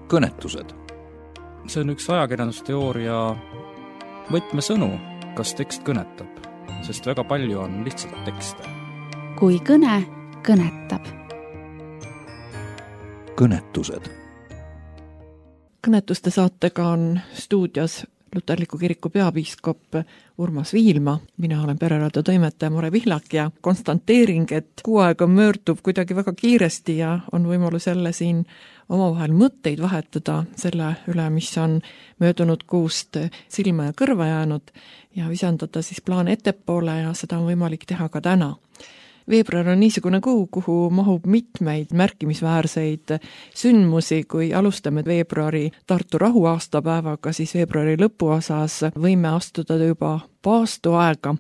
kõnetused. See on üks ajakirjandusteooria võtmesõnu, kas tekst kõnetab, sest väga palju on lihtsalt tekste. Kui kõne kõnetab. Kõnetused. Kõnetuste saatega on stuudios Luterliku kiriku peapiiskop Urmas Viilma. Mina olen Pereraadio toimetaja More Pihlak ja konstanteering, et kuu aega möördub kuidagi väga kiiresti ja on võimalus jälle siin omavahel mõtteid vahetada selle üle, mis on möödunud kuust silma ja kõrva jäänud ja visandada siis plaan ettepoole ja seda on võimalik teha ka täna. Veebruar on niisugune kuu, kuhu mahub mitmeid märkimisväärseid sündmusi. Kui alustame veebruari Tartu rahuaastapäevaga, siis veebruari lõpuosas võime astuda juba paastuaega,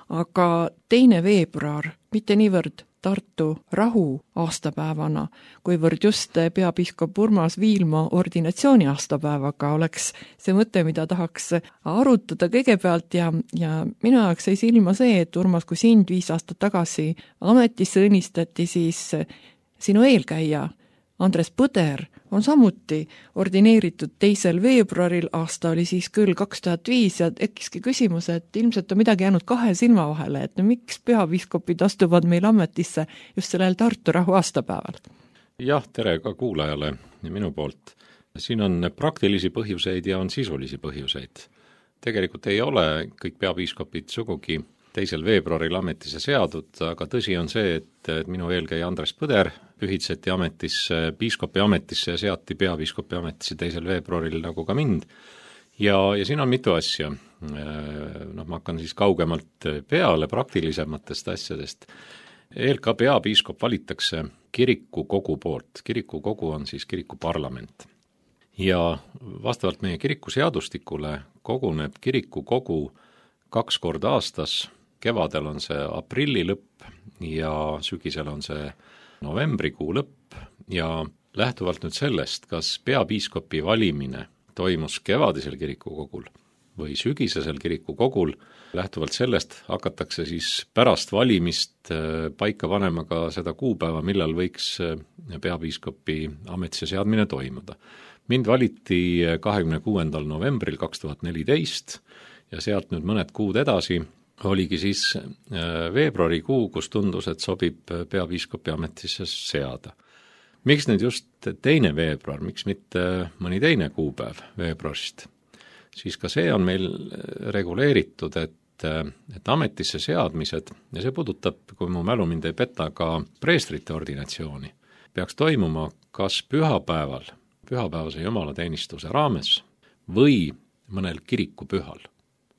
aga 2. veebruar mitte niivõrd Tartu rahu aastapäevana, kuivõrd just peapiiskop Urmas Viilma ordinatsiooni aastapäevaga oleks see mõte, mida tahaks arutada kõigepealt ja minu jaoks sai silma see, et Urmas, kui sind 5 aastat tagasi ametisse õnnistati, siis sinu eelkäija Andres Põder on samuti ordineeritud 2. veebruaril, aasta oli siis küll 2005 ja tekkiski küsimus, et ilmselt on midagi jäänud 2 silma vahele, et miks peapiiskopid astuvad meil ametisse just sellel Tartu rahu aastapäeval? Jah, tere ka kuulajale ja minu poolt. Siin on praktilisi põhjuseid ja on sisulisi põhjuseid. Tegelikult ei ole kõik peapiiskopid sugugi 2. veebruaril ametisse seadud, aga tõsi on see, et minu eelkäija Andres Põder pühitseti ametisse, piiskopi ametisse ja seati peapiiskopi ametisse 2. veebruaril nagu ka mind. Ja siin on mitu asja. Ma hakkan siis kaugemalt peale praktilisematest asjadest. ELK peapiiskop valitakse kirikukogu poolt. Kirikukogu on siis kirikuparlament. Ja vastavalt meie kirikuseadustikule koguneb kirikukogu 2 korda aastas. Kevadel on see aprilli lõpp ja sügisel on see novembrikuu lõpp ja lähtuvalt nüüd sellest, kas peapiiskopi valimine toimus kevadisel kirikukogul või sügisesel kirikukogul, lähtuvalt sellest hakatakse siis pärast valimist paika panema ka seda kuupäeva, millal võiks peapiiskopi ametisse seadmine toimuda. Mind valiti 26. novembril 2014 ja sealt nüüd mõned kuud edasi oligi siis veebruarikuu, kus tundus, et sobib peapiiskopi ametisse seada. Miks nüüd just 2. veebruar, miks mitte mõni teine kuupäev veebruarist? Siis ka see on meil reguleeritud, et ametisse seadmised, ja see puudutab, kui mu mälu mind ei peta, ka preestrite ordinatsiooni, peaks toimuma kas pühapäevase jumalateenistuse raames või mõnel kirikupühal.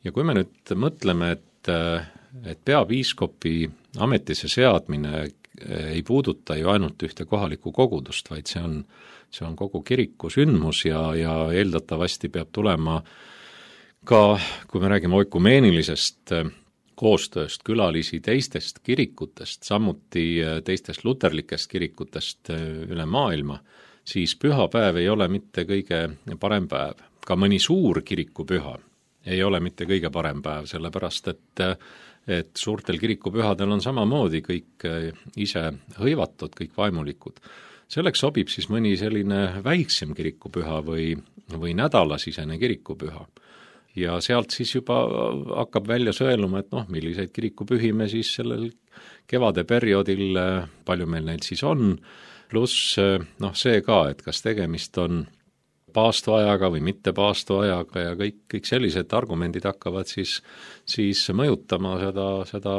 Ja kui me nüüd mõtleme, et peapiiskopi ametisse seadmine ei puuduta ju ainult ühte kohalikku kogudust, vaid see on kogu kiriku sündmus ja eeldatavasti peab tulema ka, kui me räägime oikumeenilisest koostööst, külalisi teistest kirikutest, samuti teistest luterlikest kirikutest üle maailma, siis pühapäev ei ole mitte kõige parem päev. Ka mõni suur kirikupüha ei ole mitte kõige parem päev, sellepärast et suurtel kirikupühadel on samamoodi kõik ise hõivatud, kõik vaimulikud. Selleks sobib siis mõni selline väiksem kirikupüha või nädalasisene kirikupüha. Ja sealt siis juba hakkab välja sõeluma, et milliseid kirikupühi me siis sellel kevade perioodil, palju meil neid siis on, pluss see ka, et kas tegemist on paastuajaga või mitte paastuajaga ja kõik sellised argumendid hakkavad siis mõjutama seda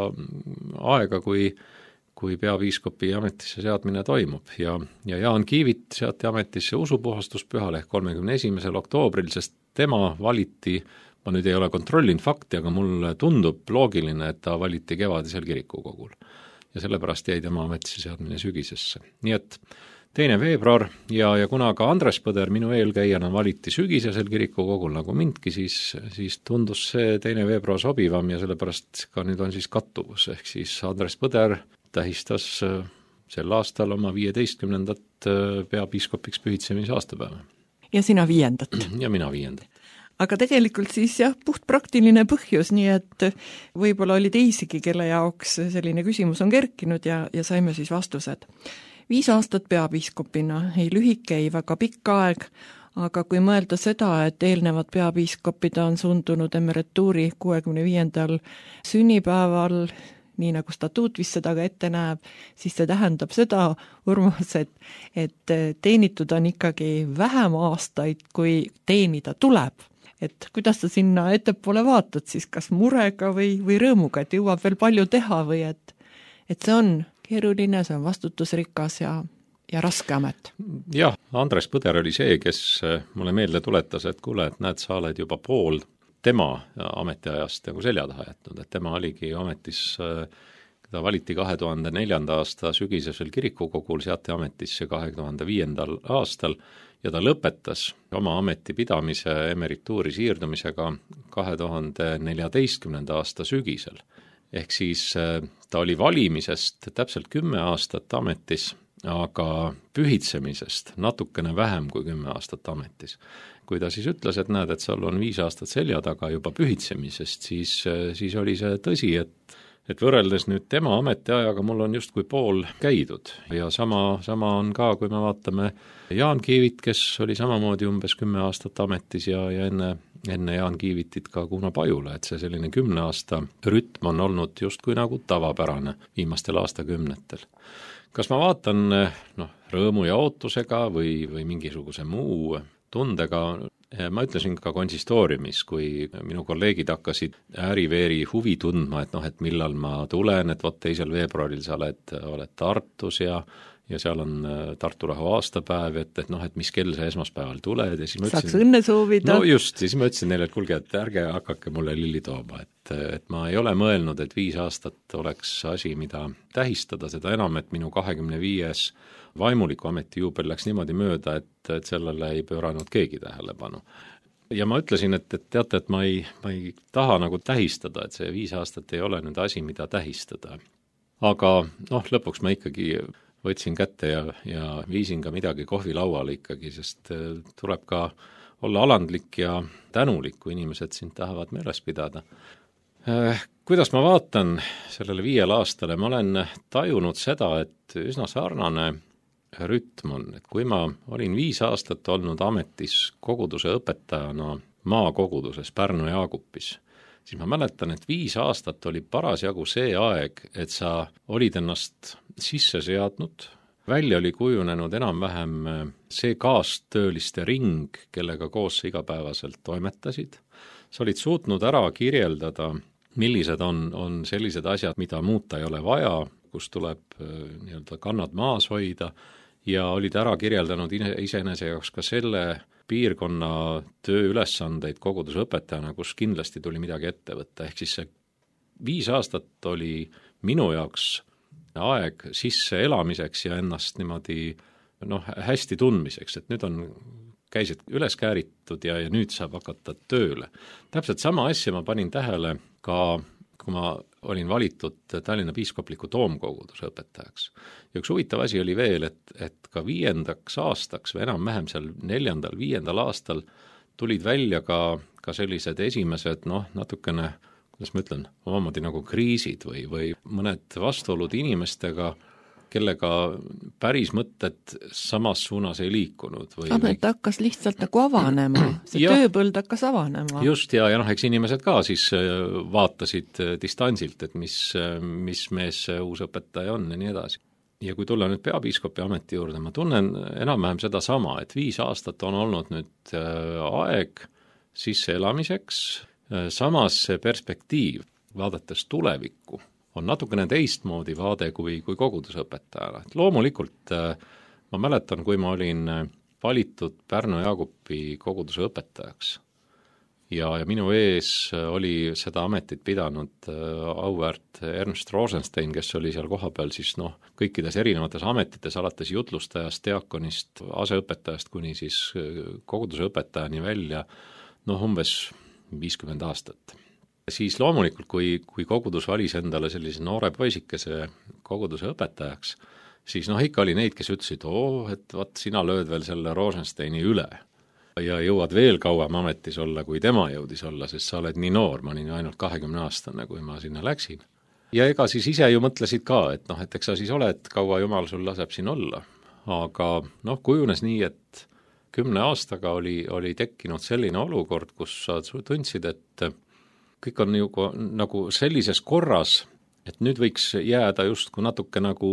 aega, kui peapiiskopi ametisse seadmine toimub. Ja Jaan Kiivit seati ametisse usupuhastuspühal ehk 31. oktoobril, sest tema valiti, ma nüüd ei ole kontrollinud fakti, aga mulle tundub loogiline, et ta valiti kevadisel kirikukogul. Ja sellepärast jäi tema ametisse seadmine sügisesse. Nii et 2. veebruar ja kuna ka Andres Põder minu eelkäijana valiti sügisesel kirikukogul nagu mindki, siis tundus see 2. veebruar sobivam ja sellepärast ka nüüd on siis kattuvus, ehk siis Andres Põder tähistas sel aastal oma 15. peapiiskopiks pühitsemise aastapäeva. Ja sina 5. Ja mina 5. Aga tegelikult siis puht praktiline põhjus, nii et võib-olla oli teisigi, kelle jaoks selline küsimus on kerkinud ja saime siis vastused. 5 aastat peapiiskopina, ei lühike, ei väga pikk aeg, aga kui mõelda seda, et eelnevad peapiiskopid on sundunud emerituuri 65. sünnipäeval, nii nagu statuut vist seda ka ette näeb, siis see tähendab seda, Urmas, et teenitud on ikkagi vähem aastaid, kui teenida tuleb. Et kuidas sa sinna ettepoole vaatad siis, kas murega või rõõmuga, et jõuab veel palju teha või et see on keeruline, see on vastutusrikas ja raske amet. Jah, Andres Põder oli see, kes mulle meelde tuletas, et kuule, et näed, sa oled juba pool tema ametiajast nagu selja taha jätnud, et tema oligi ametis, ta valiti 2004. aasta sügisesel kirikukogul, seati ametisse 2005. aastal ja ta lõpetas oma ametipidamise emerituuri siirdumisega 2014. aasta sügisel. Ehk siis ta oli valimisest täpselt 10 aastat ametis, aga pühitsemisest natukene vähem kui 10 aastat ametis. Kui ta siis ütles, et näed, et sul on 5 aastat selja taga juba pühitsemisest, siis oli see tõsi, et võrreldes nüüd tema ametiajaga mul on justkui pool käidud ja sama on ka, kui me vaatame Jaan Kiivit, kes oli samamoodi umbes 10 aastat ametis ja enne Jaan Kiivitit ka Kuno Pajula, et see selline 10 aasta rütm on olnud justkui nagu tavapärane viimastel aastakümnetel. Kas ma vaatan rõõmu ja ootusega või mingisuguse muu tundega, ma ütlesin ka konsistooriumis, kui minu kolleegid hakkasid ääriveeri huvi tundma, et millal ma tulen, et 2. veebruaril sa oled Tartus ja seal on Tartu rahu aastapäev, et mis kell sa esmaspäeval tuled ja siis ma ütlesin, saaks õnne soovida. No just, siis ma ütlesin neile, et kuulge, et ärge hakake mulle lilli tooma, et ma ei ole mõelnud, et 5 aastat oleks asi, mida tähistada, seda enam, et minu 25. vaimuliku ameti juubel läks niimoodi mööda, et sellele ei pööranud keegi tähelepanu. Ja ma ütlesin, et teate, et ma ei taha nagu tähistada, et see 5 aastat ei ole nüüd asi, mida tähistada. Aga lõpuks ma ikkagi võtsin kätte ja viisin ka midagi kohvilauale ikkagi, sest tuleb ka olla alandlik ja tänulik, kui inimesed sind tahavad meeles pidada. Kuidas ma vaatan sellele 5 aastale, ma olen tajunud seda, et üsna sarnane rütm on, et kui ma olin 5 aastat olnud ametis koguduse õpetajana maakoguduses Pärnu Jaagupis, siis ma mäletan, et 5 aastat oli parasjagu see aeg, et sa olid ennast sisse seadnud, välja oli kujunenud enam-vähem see kaastööliste ring, kellega koos sa igapäevaselt toimetasid. Sa olid suutnud ära kirjeldada, millised on sellised asjad, mida muuta ei ole vaja, kus tuleb kannad maas hoida ja olid ära kirjeldanud iseenese jaoks ka selle piirkonna tööülesandeid kogudusõpetajana, kus kindlasti tuli midagi ette võtta. Ehk siis see 5 aastat oli minu jaoks aeg sisse elamiseks ja ennast niimoodi hästi tundmiseks, et nüüd on käisid üles kääritud ja nüüd saab hakata tööle. Täpselt sama asja ma panin tähele ka, kui ma olin valitud Tallinna piiskopliku toomkoguduse õpetajaks. Ja üks huvitav asi oli veel, et ka 5. aastaks või enam-vähem seal 4. 5. aastal tulid välja ka sellised esimesed, natukene, kuidas ma ütlen, omamoodi nagu kriisid või mõned vastuolud inimestega, kellega päris mõtted samas suunas ei liikunud. Amet hakkas lihtsalt nagu avanema, see tööpõld hakkas avanema. Just, ja eks inimesed ka siis vaatasid distantsilt, et mis mees see uus õpetaja on ja nii edasi. Ja kui tulla nüüd peapiiskopi ameti juurde, ma tunnen enam-vähem seda sama, et 5 aastat on olnud nüüd aeg sisse elamiseks, samas see perspektiiv, vaadates tulevikku, on natukene teistmoodi vaade kui kogudusõpetajana. Et loomulikult ma mäletan, kui ma olin valitud Pärnu Jaagupi koguduse õpetajaks ja minu ees oli seda ametit pidanud auväärt Ernst Rosenstein, kes oli seal kohapeal siis kõikides erinevates ametites, alates jutlustajast, diakonist, aseõpetajast kuni siis koguduse õpetajani välja, umbes 50 aastat. Siis loomulikult, kui kogudus valis endale sellise noore poisikese koguduse õpetajaks, siis ikka oli neid, kes ütlesid, et vaat sina lööd veel selle Rosensteini üle ja jõuad veel kauem ametis olla, kui tema jõudis olla, sest sa oled nii noor, ma olin ju ainult 20-aastane, kui ma sinna läksin. Ja ega siis ise ju mõtlesid ka, et eks sa siis oled, kaua Jumal sul laseb siin olla. Aga kujunes nii, et 10 aastaga oli tekkinud selline olukord, kus sa tundsid, et kõik on nagu sellises korras, et nüüd võiks jääda justkui natuke nagu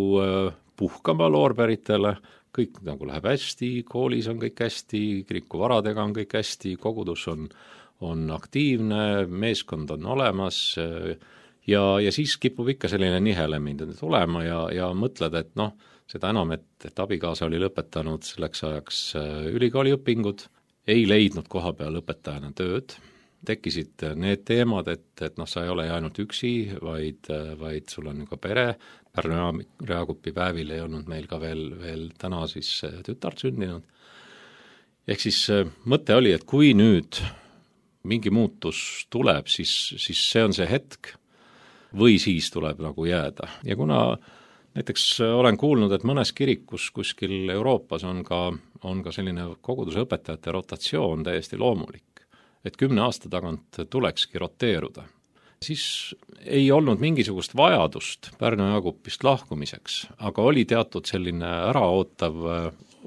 puhkama loorberitele, kõik nagu läheb hästi, koolis on kõik hästi, kirikuvaradega on kõik hästi, kogudus on aktiivne, meeskond on olemas ja siis kipub ikka selline nihelemine tulema ja mõtled, et noh, seda enam, et abikaasa oli lõpetanud selleks ajaks ülikooliõpingud, ei leidnud koha peal õpetajana tööd, tekkisid need teemad, et noh, sa ei ole ainult üksi, vaid sul on ka pere, Pärnu Reakupi päevil ei olnud meil ka veel täna siis tütart sündinud. Ehk siis mõte oli, et kui nüüd mingi muutus tuleb, siis see on see hetk või siis tuleb nagu jääda. Ja kuna näiteks olen kuulnud, et mõnes kirikus kuskil Euroopas on ka selline koguduse õpetajate rotatsioon täiesti loomulik, et 10 aasta tagant tulekski roteeruda, siis ei olnud mingisugust vajadust Pärnu Jaakupist lahkumiseks, aga oli teatud selline äraootav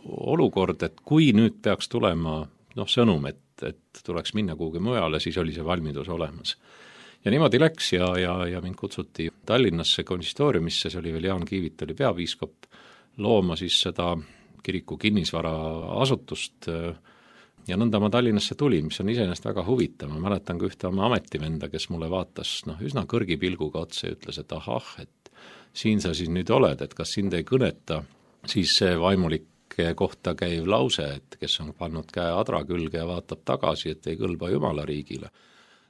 olukord, et kui nüüd peaks tulema sõnum, et tuleks minna kuhugi mujale, siis oli see valmidus olemas. Ja niimoodi läks ja mind kutsuti Tallinnasse konsistooriumisse, see oli veel Jaan Kiivit oli peapiiskop, looma siis seda kiriku kinnisvara asutust ja nõnda ma Tallinnasse tulin, mis on iseenesest väga huvitav. Ma mäletan ka ühte oma ametivenda, kes mulle vaatas üsna kõrgi pilguga otsa ja ütles, et ahah, et siin sa siis nüüd oled, et kas sind ei kõneta, siis see vaimulike kohta käiv lause, et kes on pannud käe adra külge ja vaatab tagasi, et ei kõlba Jumala riigile.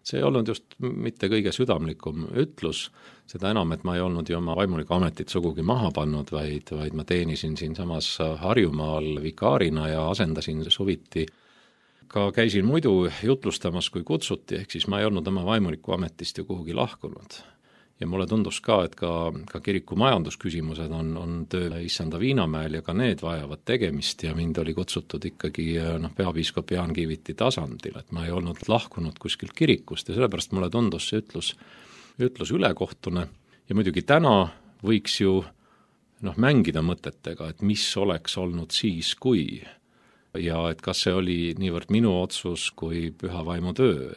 See ei olnud just mitte kõige südamlikum ütlus, seda enam, et ma ei olnud ju oma vaimuliku ametit sugugi maha pannud, vaid ma teenisin siin samas Harjumaal vikaarina ja asendasin suviti. Ka käisin muidu jutlustamas, kui kutsuti, ehk siis ma ei olnud oma vaimuliku ametist ju kuhugi lahkunud. Ja mulle tundus ka, et ka kiriku majandusküsimused on töö Issanda Viinamäel ja ka need vajavad tegemist ja mind oli kutsutud ikkagi peapiiskop Jaan Kiiviti tasandil, et ma ei olnud lahkunud kuskilt kirikust ja sellepärast mulle tundus see ütlus ülekohtune ja muidugi täna võiks ju mängida mõtetega, et mis oleks olnud siis, kui ja et kas see oli niivõrd minu otsus kui püha vaimu töö,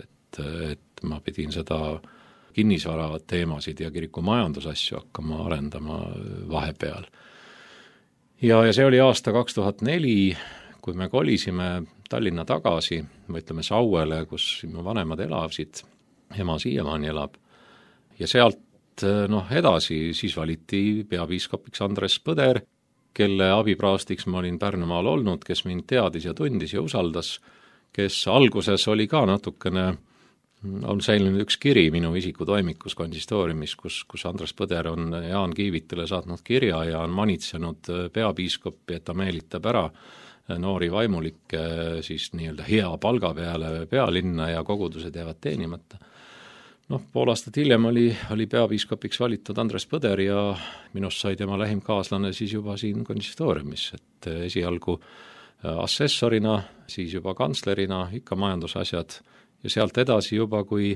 et ma pidin seda kinnisvara teemasid ja kiriku majandusasju hakkama arendama vahepeal. Ja see oli aasta 2004, kui me kolisime Tallinna tagasi, või ütleme Sauele, kus mu vanemad elasid, ema siiamaani elab. Ja sealt edasi siis valiti peapiiskopiks Andres Põder, kelle abipraastiks ma olin Pärnumaal olnud, kes mind teadis ja tundis ja usaldas, kes alguses oli ka natukene on säilinud üks kiri minu isikutoimikus konsistooriumis, kus Andres Põder on Jaan Kiivitile saatnud kirja ja on manitsenud peapiiskopi, et ta meelitab ära noori vaimulikke siis nii-öelda hea palga peale pealinna ja kogudused jäävad teenimata. Pool aastat hiljem oli peapiiskopiks valitud Andres Põder ja minust sai tema lähim kaaslane siis juba siin konsistooriumis, et esialgu assessorina, siis juba kantslerina, ikka majandusasjad ja sealt edasi juba, kui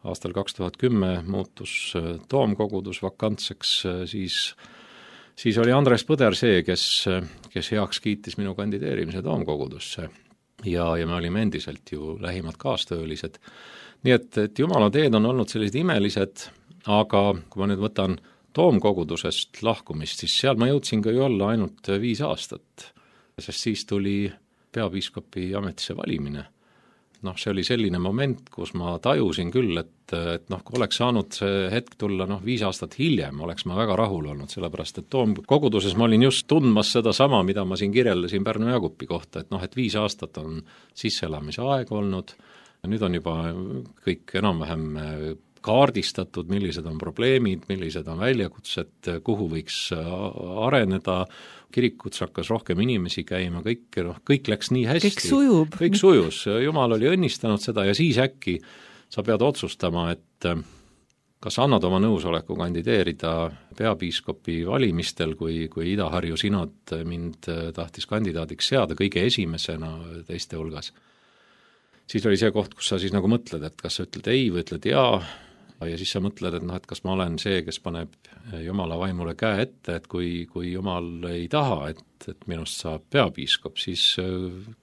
aastal 2010 muutus toomkogudus vakantseks, siis oli Andres Põder see, kes heaks kiitis minu kandideerimise toomkogudusse ja me olime endiselt ju lähimad kaastöölised. Nii et Jumala teed on olnud sellised imelised, aga kui ma nüüd võtan toomkogudusest lahkumist, siis seal ma jõudsin ka ju olla ainult 5 aastat, sest siis tuli peapiiskopi ametisse valimine. See oli selline moment, kus ma tajusin küll, et kui oleks saanud see hetk tulla 5 aastat hiljem, oleks ma väga rahul olnud, sellepärast et toomkoguduses ma olin just tundmas seda sama, mida ma siin kirjeldasin Pärnu Jaakupi kohta, et 5 aastat on sisseelamise aeg olnud, nüüd on juba kõik enam-vähem kaardistatud, millised on probleemid, millised on väljakutsed, kuhu võiks areneda, kirikuts hakkas rohkem inimesi käima, kõik läks nii hästi. Kõik sujus, Jumal oli õnnistanud seda ja siis äkki sa pead otsustama, et kas annad oma nõusoleku kandideerida peapiiskopi valimistel, kui Ida-Harju sinod mind tahtis kandidaadiks seada kõige esimesena teiste hulgas. Siis oli see koht, kus sa siis nagu mõtled, et kas sa ütled ei või ütled jaa ja siis sa mõtled, et noh, et kas ma olen see, kes paneb Jumala vaimule käe ette, et kui Jumal ei taha, et minust saab peapiiskop, siis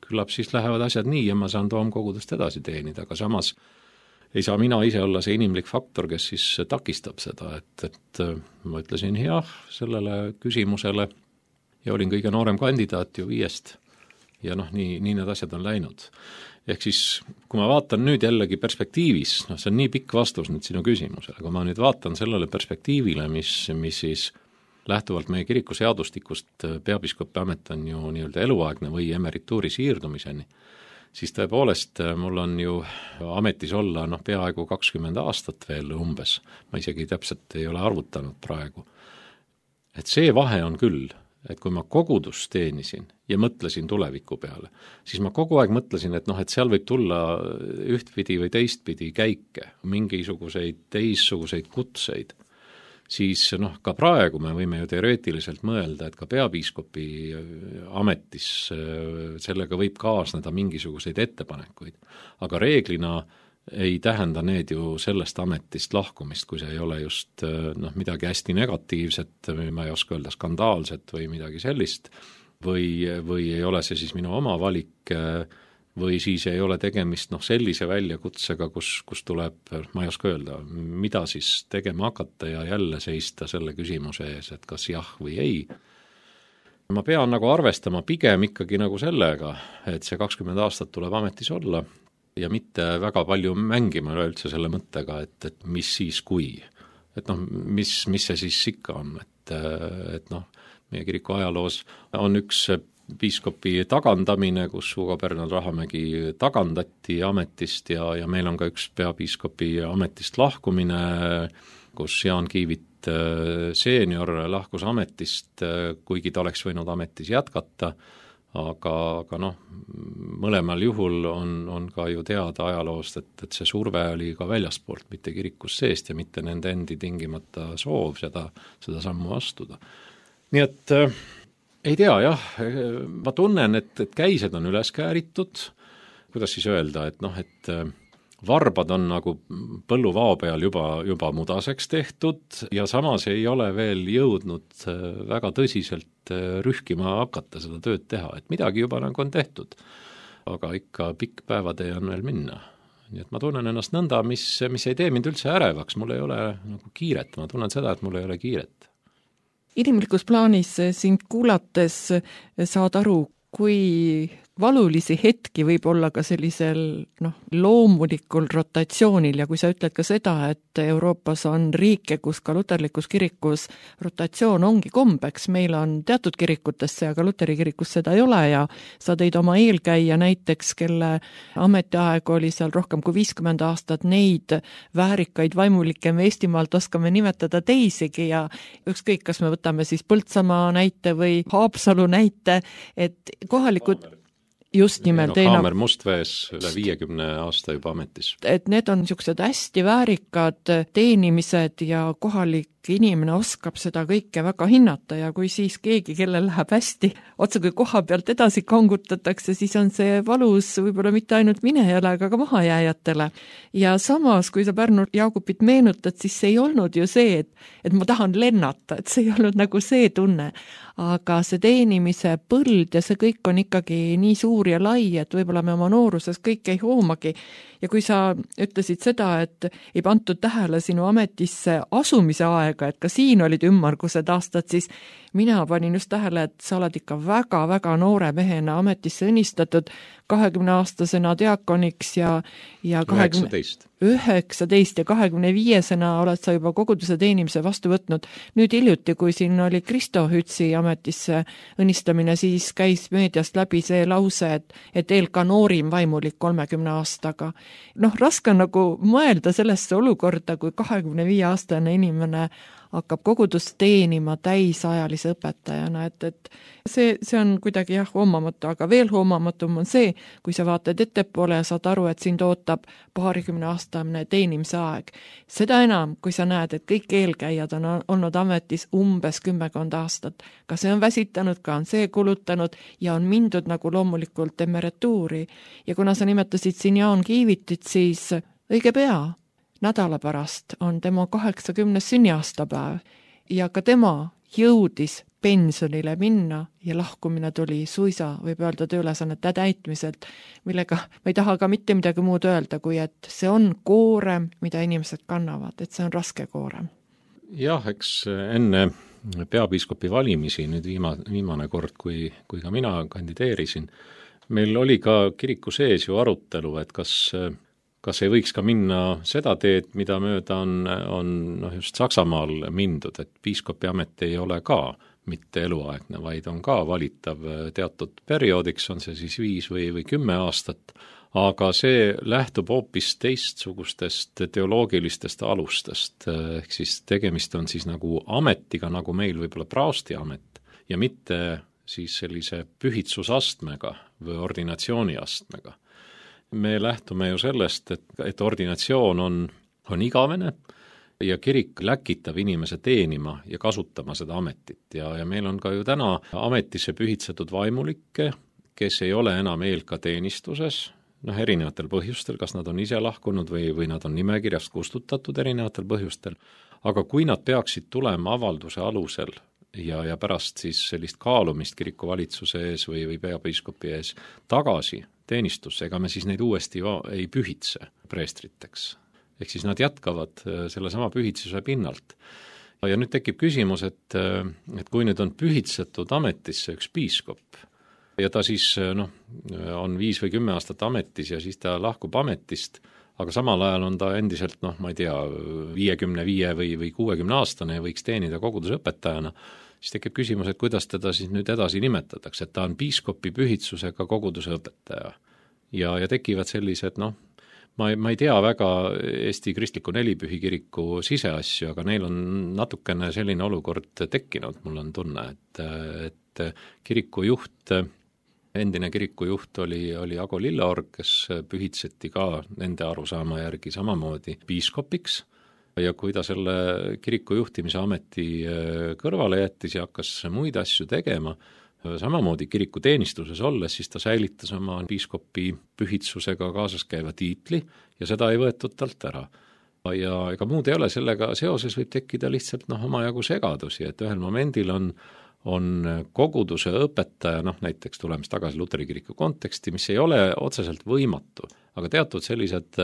küllap siis lähevad asjad nii ja ma saan toomkogudust edasi teenida, aga samas ei saa mina ise olla see inimlik faktor, kes siis takistab seda, et ma ütlesin jah sellele küsimusele ja olin kõige noorem kandidaat ju 5 ja noh, nii need asjad on läinud. Ehk siis, kui ma vaatan nüüd jällegi perspektiivis, noh see on nii pikk vastus nüüd sinu küsimusele, kui ma nüüd vaatan sellele perspektiivile, mis siis lähtuvalt meie kirikuseadustikust peapiiskopi amet on ju nii-öelda eluaegne või emerituuri siirdumiseni, siis tõepoolest mul on ju ametis olla peaaegu 20 aastat veel umbes, ma isegi täpselt ei ole arvutanud praegu. Et see vahe on küll, et kui ma kogudust teenisin ja mõtlesin tuleviku peale, siis ma kogu aeg mõtlesin, et et seal võib tulla ühtpidi või teistpidi käike, mingisuguseid teissuguseid kutseid, siis ka praegu me võime ju teoreetiliselt mõelda, et ka peapiiskopi ametis sellega võib kaasneda mingisuguseid ettepanekuid, aga reeglina ei tähenda need ju sellest ametist lahkumist, kui see ei ole just midagi hästi negatiivset, ma ei oska öelda skandaalset või midagi sellist, või ei ole see siis minu oma valik, või siis ei ole tegemist sellise väljakutsega, kus tuleb, ma ei oska öelda, mida siis tegema hakata ja jälle seista selle küsimuse ees, et kas jah või ei. Ma pean arvestama pigem ikkagi sellega, et see 20 aastat tuleb ametis olla, ja mitte väga palju mängima üleüldse selle mõttega, et mis siis kui. Et mis see siis ikka on, et meie kiriku ajaloos on üks piiskopi tagandamine, kus Hugo Bernard Rahamägi tagandati ametist ja meil on ka üks peapiiskopi ametist lahkumine, kus Jaan Kiivit seenior lahkus ametist, kuigi ta oleks võinud ametis jätkata, aga mõlemal juhul on ka ju teada ajaloost, et see surve oli ka väljaspoolt, mitte kirikust seest ja mitte nende endi tingimata soov seda sammu astuda. Nii et ei tea jah, ma tunnen, et käised on üles kääritud, kuidas siis öelda, et varbad on põlluvao peal juba mudaseks tehtud ja samas ei ole veel jõudnud väga tõsiselt rühkima hakata seda tööd teha, et midagi juba on tehtud, aga ikka pikk päevatee on veel minna. Nii et ma tunnen ennast nõnda, mis ei tee mind üldse ärevaks, mul ei ole kiiret, ma tunnen seda, et mul ei ole kiiret. Inimlikus plaanis sind kuulates saad aru, kui valulisi hetki võib olla ka sellisel loomulikul rotatsioonil ja kui sa ütled ka seda, et Euroopas on riike, kus ka luterlikus kirikus rotatsioon ongi kombeks, meil on teatud kirikutesse, aga luteri kirikus seda ei ole ja sa tõid oma eelkäija näiteks, kelle ametiaeg oli seal rohkem kui 50 aastat, neid väärikaid vaimulikke me Eestimaalt oskame nimetada teisigi ja ükskõik, kas me võtame siis Põltsamaa näite või Haapsalu näite, et kohalikud just nimelt Kaamer Mustvees üle 50 aasta juba ametis. Et need on niisugused hästi väärikad teenimised ja kohalik inimene oskab seda kõike väga hinnata ja kui siis keegi, kellel läheb hästi, otsa kui koha pealt edasi kangutatakse, siis on see valus võib-olla mitte ainult minejale, aga ka mahajääjatele. Ja samas, kui sa Pärnu Jaagupit meenutad, siis see ei olnud ju see, et ma tahan lennata, et see ei olnud see tunne. Aga see teenimise põld ja see kõik on ikkagi nii suur ja lai, et võib-olla me oma nooruses kõik ei hoomagi. Ja kui sa ütlesid seda, et ei pantud tähele sinu ametisse asumise aega, et ka siin olid ümmargused aastad, siis mina panin just tähele, et sa oled ikka väga-väga noore mehena ametisse õnnistatud, 20-aastasena diakoniks ja 19 ja 25-sena oled sa juba koguduse teenimise vastu võtnud. Nüüd hiljuti, kui siin oli Kristo Hütsi ametisse õnnistamine, siis käis meediast läbi see lause, et eelka noorim vaimulik 30 aastaga. Raske on mõelda sellesse olukorda, kui 25-aastane inimene hakkab kogudust teenima täisajalise õpetajana, et see on kuidagi hoomamatu, aga veel hoomamatum on see, kui sa vaatad ettepoole ja saad aru, et sind ootab 20-aastane teenimise aeg. Seda enam, kui sa näed, et kõik eelkäijad on olnud ametis umbes 10 aastat. Ka see on väsitanud, ka on see kulutanud ja on mindud loomulikult emerituuri. Ja kuna sa nimetasid siin Jaan Kiivitit, siis õige pea nädala pärast on tema 80. sünniaastapäev ja ka tema jõudis pensionile minna ja lahkumine tuli suisa, võib öelda, tööülesannete täitmiselt, millega ma ei taha ka mitte midagi muud öelda, kui et see on koorem, mida inimesed kannavad, et see on raske koorem. Jah, eks enne peapiiskopi valimisi, nüüd viimane kord, kui ka mina kandideerisin, meil oli ka kiriku sees ju arutelu, et kas ei võiks ka minna seda teed, mida mööda on just Saksamaal mindud, et piiskopi amet ei ole ka mitte eluaegne, vaid on ka valitav teatud perioodiks, on see siis 5 või 10 aastat, aga see lähtub hoopis teistsugustest teoloogilistest alustest, ehk siis tegemist on siis nagu ametiga, nagu meil võib-olla praosti amet, ja mitte siis sellise pühitsusastmega või ordinatsiooniastmega. Me lähtume ju sellest, et ordinatsioon on igavene ja kirik läkitab inimese teenima ja kasutama seda ametit ja meil on ka ju täna ametisse pühitsetud vaimulikke, kes ei ole enam eelka teenistuses, erinevatel põhjustel, kas nad on ise lahkunud või nad on nimekirjast kustutatud erinevatel põhjustel, aga kui nad peaksid tulema avalduse alusel ja pärast siis sellist kaalumist kirikuvalitsuse ees või peapiiskopi ees tagasi teenistusse, ega me siis neid uuesti ei pühitse preestriteks. Ehk siis nad jätkavad sellesama pühitsuse pinnalt. Ja nüüd tekib küsimus, et kui nüüd on pühitsetud ametisse üks piiskop ja ta siis on 5 või 10 aastat ametis ja siis ta lahkub ametist, aga samal ajal on ta endiselt, ma ei tea, 55 või 60 aastane ja võiks teenida koguduse õpetajana, siis tekib küsimus, et kuidas teda siis nüüd edasi nimetatakse, et ta on piiskopi pühitsusega koguduse õpetaja. Ja tekivad sellised, ma ei tea väga Eesti Kristliku Nelipühi kiriku siseasju, aga neil on natukene selline olukord tekkinud, mul on tunne, et kirikujuht, endine kirikujuht oli Ago Lilleorg, kes pühitseti ka nende arusaama järgi samamoodi piiskopiks ja kui ta selle kiriku juhtimise ameti kõrvale jättis ja hakkas muid asju tegema, samamoodi kiriku teenistuses olles, siis ta säilitas oma piiskopi pühitsusega kaasas käiva tiitli ja seda ei võetud talt ära. Ja ega muud ei ole, sellega seoses võib tekkida lihtsalt omajagu segadusi, et ühel momendil on koguduse õpetaja, näiteks tulemes tagasi Luteri kiriku konteksti, mis ei ole otseselt võimatu, aga teatud sellised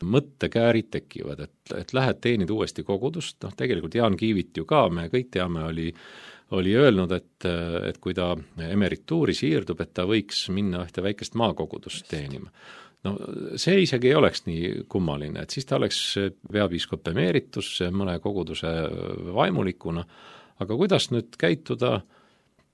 mõttekäärid tekivad, et lähed teenid uuesti kogudust, tegelikult Jaan Kiivit ju ka, me kõik teame, oli öelnud, et kui ta emerituuri siirdub, et ta võiks minna ühte väikest maakogudust teenima. See isegi ei oleks nii kummaline, et siis ta oleks peapiiskop emeritus mõne koguduse vaimulikuna, aga kuidas nüüd käituda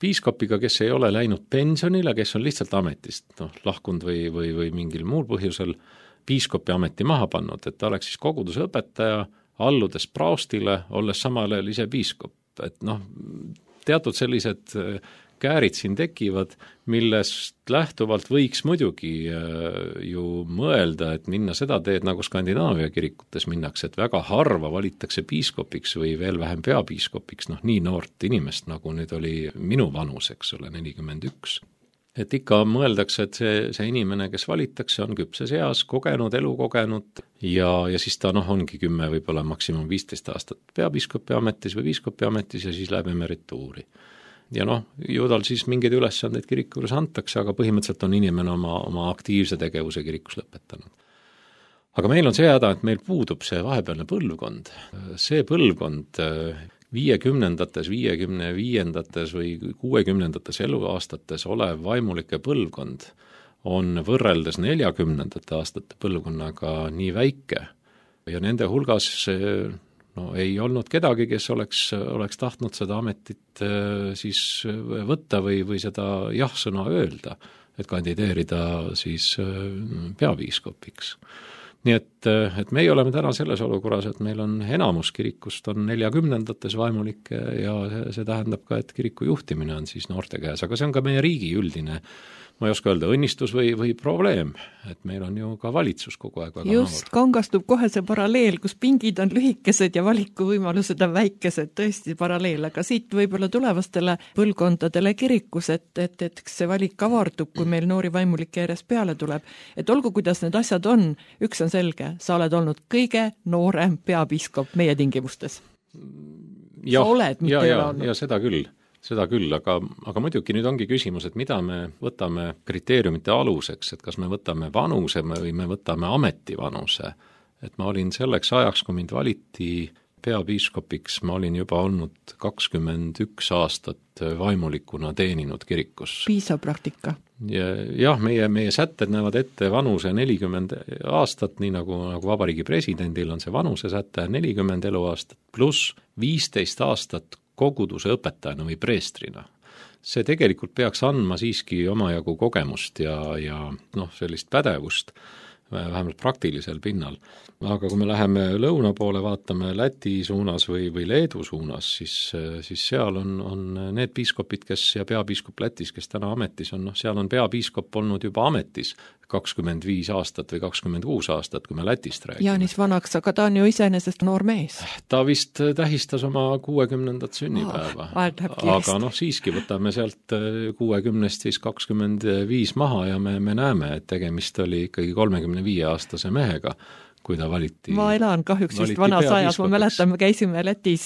piiskopiga, kes ei ole läinud pensionile, kes on lihtsalt ametist lahkunud või mingil muul põhjusel piiskopi ameti maha pannud, et ta oleks siis koguduse õpetaja, alludes praostile, olles samal ajal ise piiskop. Et teatud sellised käärid siin tekivad, millest lähtuvalt võiks muidugi ju mõelda, et minna seda teed, nagu Skandinaavia kirikutes minnakse, et väga harva valitakse piiskopiks või veel vähem peapiiskopiks, nii noort inimest, nagu nüüd oli minu vanus, eks ole, 41. Et ikka mõeldakse, et see inimene, kes valitakse, on küpses eas, kogenud, elukogenud ja siis ta ongi 10, võib-olla maksimum 15 aastat peapiiskopi ametis või piiskopi ametis ja siis läheb emerituuri. Ja ju tal siis mingeid ülesandeid kiriku juures antakse, aga põhimõtteliselt on inimene oma aktiivse tegevuse kirikus lõpetanud. Aga meil on see häda, et meil puudub see vahepealne põlvkond. See põlvkond 50-ndates, 55-ndates või 60-ndates eluaastates olev vaimulike põlvkond on võrreldes 40-ndate aastate põlvkonnaga nii väike ja nende hulgas ei olnud kedagi, kes oleks tahtnud seda ametit siis võtta või seda jah-sõna öelda, et kandideerida siis peapiiskopiks. Nii et meie oleme täna selles olukorras, et meil on enamus kirikust on 40-ndates vaimulikke ja see tähendab ka, et kiriku juhtimine on siis noorte käes, aga see on ka meie riigi üldine, ma ei oska öelda, õnnistus või probleem, et meil on ju ka valitsus kogu aeg väga just, kangastub kohe see paralleel, kus pingid on lühikesed ja valikuvõimalused on väikesed, tõesti paralleel, aga siit võib-olla tulevastele põlvkondadele kirikus, et see valik avardub, kui meil noori vaimulikke järjest peale tuleb. Et olgu, kuidas need asjad on, üks on selge, sa oled olnud kõige noorem peapiiskop meie tingimustes. Ja, sa oled, mitte ei ole olnud. Ja seda küll, aga muidugi nüüd ongi küsimus, et mida me võtame kriteeriumite aluseks, et kas me võtame vanuse või me võtame ametivanuse. Et ma olin selleks ajaks, kui mind valiti peapiiskopiks, ma olin juba olnud 21 aastat vaimulikuna teeninud kirikus. Piisav praktika. Jah, meie sätted näevad ette vanuse 40 aastat, nii nagu vabariigi presidendil on see vanuse säte 40 eluaastat, pluss 15 aastat koguduse õpetajana või preestrina. See tegelikult peaks andma siiski omajagu kogemust ja sellist pädevust, vähemalt praktilisel pinnal. Aga kui me läheme lõuna poole, vaatame Läti suunas või Leedu suunas, siis seal on need piiskopid, ja peapiiskop Lätis, kes täna ametis on, seal on peapiiskop olnud juba ametis 25 aastat või 26 aastat, kui me Lätist räägime. Jaanis vanaks, aga ta on ju iseenesest noor mees. Ta vist tähistas oma 60. sünnipäeva. Aga siiski võtame sealt 60 siis 25 maha ja me näeme, et tegemist oli ikkagi 35-aastase mehega, kui ta valiti. Ma elan kahjuks just vanas ajas, ma mäletan, me käisime Lätis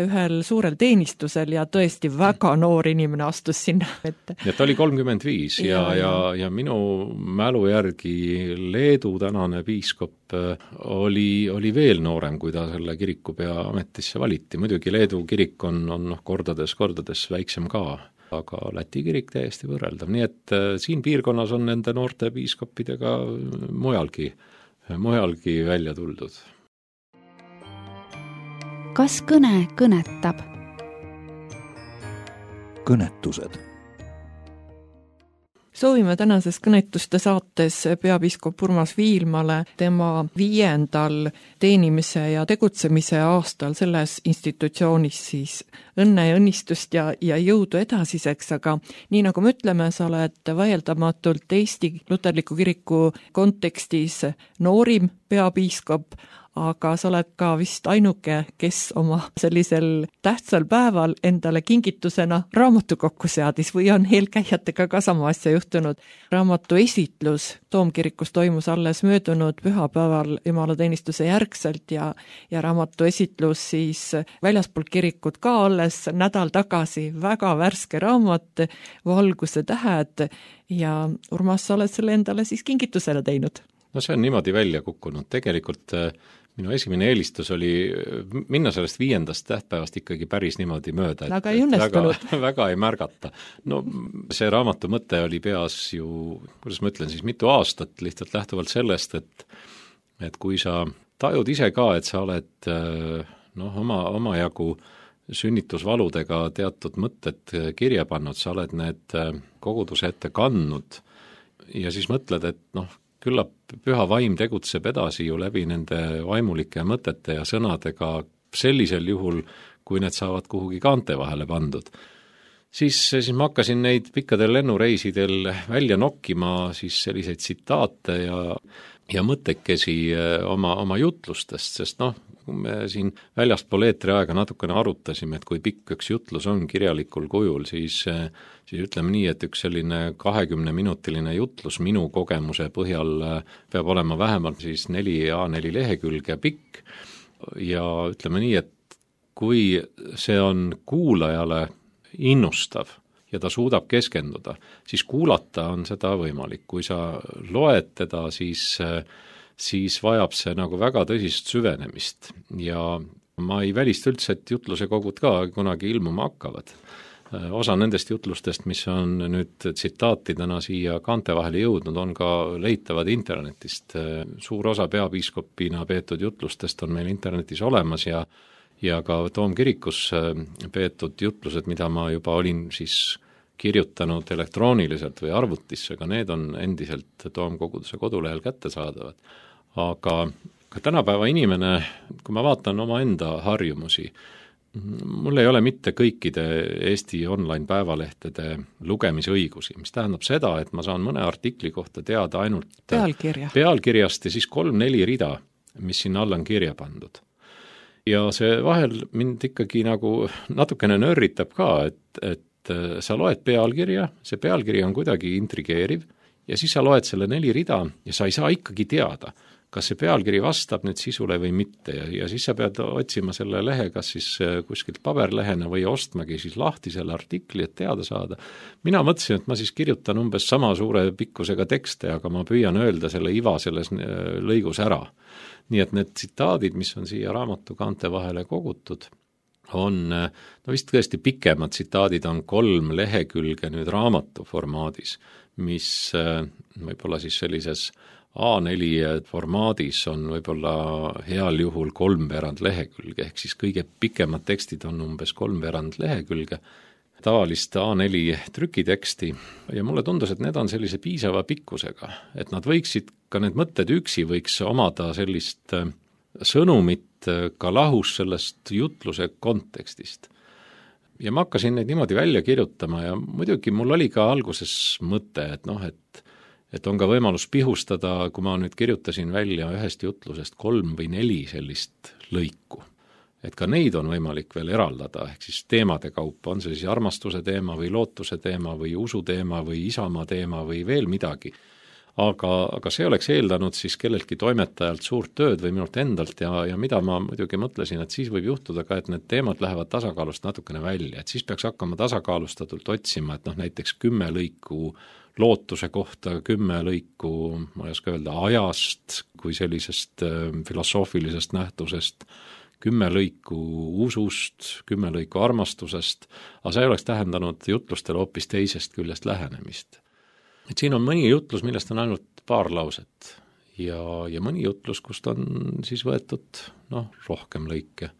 ühel suurel teenistusel ja tõesti väga noor inimene astus sinna ette. Ja ta oli 35 ja minu mälu järgi Leedu tänane piiskop oli veel noorem, kui ta selle kirikupea ametisse valiti. Muidugi Leedu kirik on kordades väiksem ka, aga Läti kirik täiesti võrreldav. Nii et siin piirkonnas on nende noorte piiskopidega mujalgi välja tuldud. Kas kõne kõnetab? Kõnetused. Soovime tänases kõnetuste saates peapiiskop Urmas Viilmale tema 5. teenimise ja tegutsemise aastal selles institutsioonis siis õnne ja õnnistust ja jõudu edasiseks, aga nii nagu me ütleme, sa oled vaieldamatult Eesti luterliku kiriku kontekstis noorim peapiiskop, aga sa oled ka vist ainuke, kes oma sellisel tähtsal päeval endale kingitusena raamatu kokku seadis või on eelkäijatega ka sama asja juhtunud. Raamatu esitlus Toomkirikus toimus alles möödunud pühapäeval jumalateenistuse järgselt ja raamatu esitlus siis väljaspool kirikut ka alles nädal tagasi. Väga värske raamat, Valguse tähed ja Urmas, sa oled selle endale siis kingitusele teinud? No see on niimoodi välja kukkunud. Tegelikult minu esimene eelistus oli minna sellest 5. tähtpäevast ikkagi päris niimoodi mööda, aga ei õnnestunud. Väga ei märgata. No see raamatu mõte oli peas ju, kuidas ma ütlen siis, mitu aastat lihtsalt lähtuvalt sellest, et kui sa tajud ise ka, et sa oled omajagu sünnitusvaludega teatud mõtted kirja pannud, sa oled need koguduse ette kandnud ja siis mõtled, et küllap püha vaim tegutseb edasi ju läbi nende vaimulike mõtete ja sõnadega sellisel juhul, kui need saavad kuhugi kaante vahele pandud. Siis ma hakkasin neid pikkadel lennureisidel välja nokkima siis selliseid tsitaate ja mõttekesi oma jutlustest, sest kui me siin väljaspool eetriaega natukene arutasime, et kui pikk üks jutlus on kirjalikul kujul, siis ütleme nii, et üks selline 20-minutiline jutlus minu kogemuse põhjal peab olema vähemalt siis 4 A4 lehekülge pikk ja ütleme nii, et kui see on kuulajale innustav ja ta suudab keskenduda, siis kuulata on seda võimalik. Kui sa loed teda, siis vajab see nagu väga tõsist süvenemist ja ma ei välista üldse, et jutluse kogud ka kunagi ilmuma hakkavad. Osa nendest jutlustest, mis on nüüd tsitaatidena siia kaante vahele jõudnud, on ka leitavad internetist. Suur osa peapiiskopina peetud jutlustest on meil internetis olemas ja ka Toomkirikus peetud jutlused, mida ma juba olin siis kirjutanud elektrooniliselt või arvutisse, aga need on endiselt Toomkoguduse kodulehel kättesaadavad. Aga tänapäeva inimene, kui ma vaatan omaenda harjumusi, Mul ei ole mitte kõikide Eesti online päevalehtede lugemisõigusi, mis tähendab seda, et ma saan mõne artikli kohta teada ainult pealkirjast ja siis 3-4 rida, mis sinna alla on kirja pandud. Ja see vahel mind ikkagi nagu natukene nörritab ka, et sa loed pealkirja, see pealkiri on kuidagi intrigeeriv ja siis sa loed selle 4 rida ja sa ei saa ikkagi teada, kas see pealkiri vastab nüüd sisule või mitte ja siis sa pead otsima selle lehe, kas siis kuskilt paberlehena või ostmagi siis lahti selle artikli, et teada saada. Mina mõtlesin, et ma siis kirjutan umbes sama suure pikkusega tekste, aga ma püüan öelda selle iva selles lõigus ära. Nii et need tsitaadid, mis on siia raamatu kaante vahele kogutud, on, no vist tõesti pikemad tsitaadid on 3 lehekülge nüüd raamatu formaadis, mis võib-olla siis sellises A4 formaadis on võib-olla heal juhul 3/4 lehekülge, ehk siis kõige pikemad tekstid on umbes 3/4 lehekülge, tavalist A4 trükiteksti ja mulle tundus, et need on sellise piisava pikkusega, et nad võiksid, ka need mõtted üksi võiks omada sellist sõnumit ka lahus sellest jutluse kontekstist. Ja ma hakkasin neid niimoodi välja kirjutama ja muidugi mul oli ka alguses mõte, et on ka võimalus pihustada, kui ma nüüd kirjutasin välja ühest jutlusest 3 või 4 sellist lõiku. Et ka neid on võimalik veel eraldada, ehk siis teemade kaupa, on see siis armastuse teema või lootuse teema või usu teema või isamaa teema või veel midagi. Aga see oleks eeldanud siis kelleltki toimetajalt suurt tööd või minult endalt ja mida ma muidugi mõtlesin, et siis võib juhtuda ka, et need teemad lähevad tasakaalust natukene välja, et siis peaks hakkama tasakaalustatult otsima, et näiteks 10 lõiku lootuse kohta, 10 lõiku, ma ei oska öelda, ajast kui sellisest filosoofilisest nähtusest, 10 lõiku usust, 10 lõiku armastusest, aga see oleks tähendanud jutlustele hoopis teisest küljest lähenemist. Et siin on mõni jutlus, millest on ainult paar lauset ja mõni jutlus, kust on siis võetud rohkem lõike.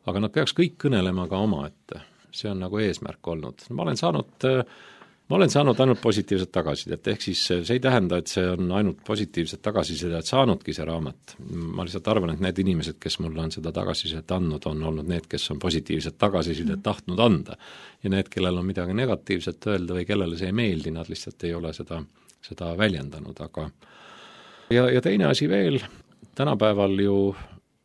Aga nad peaks kõik kõnelema ka omaette. See on nagu eesmärk olnud. Ma olen saanud ainult positiivset tagasisidet, ehk siis see ei tähenda, et see on ainult positiivset tagasisidet saanudki see raamat. Ma lihtsalt arvan, et need inimesed, kes mulle on seda tagasisidet andnud, on olnud need, kes on positiivset tagasisidet tahtnud anda. Ja need, kellel on midagi negatiivset öelda või kellele see ei meeldi, nad lihtsalt ei ole seda väljendanud. Aga ja teine asi veel, tänapäeval ju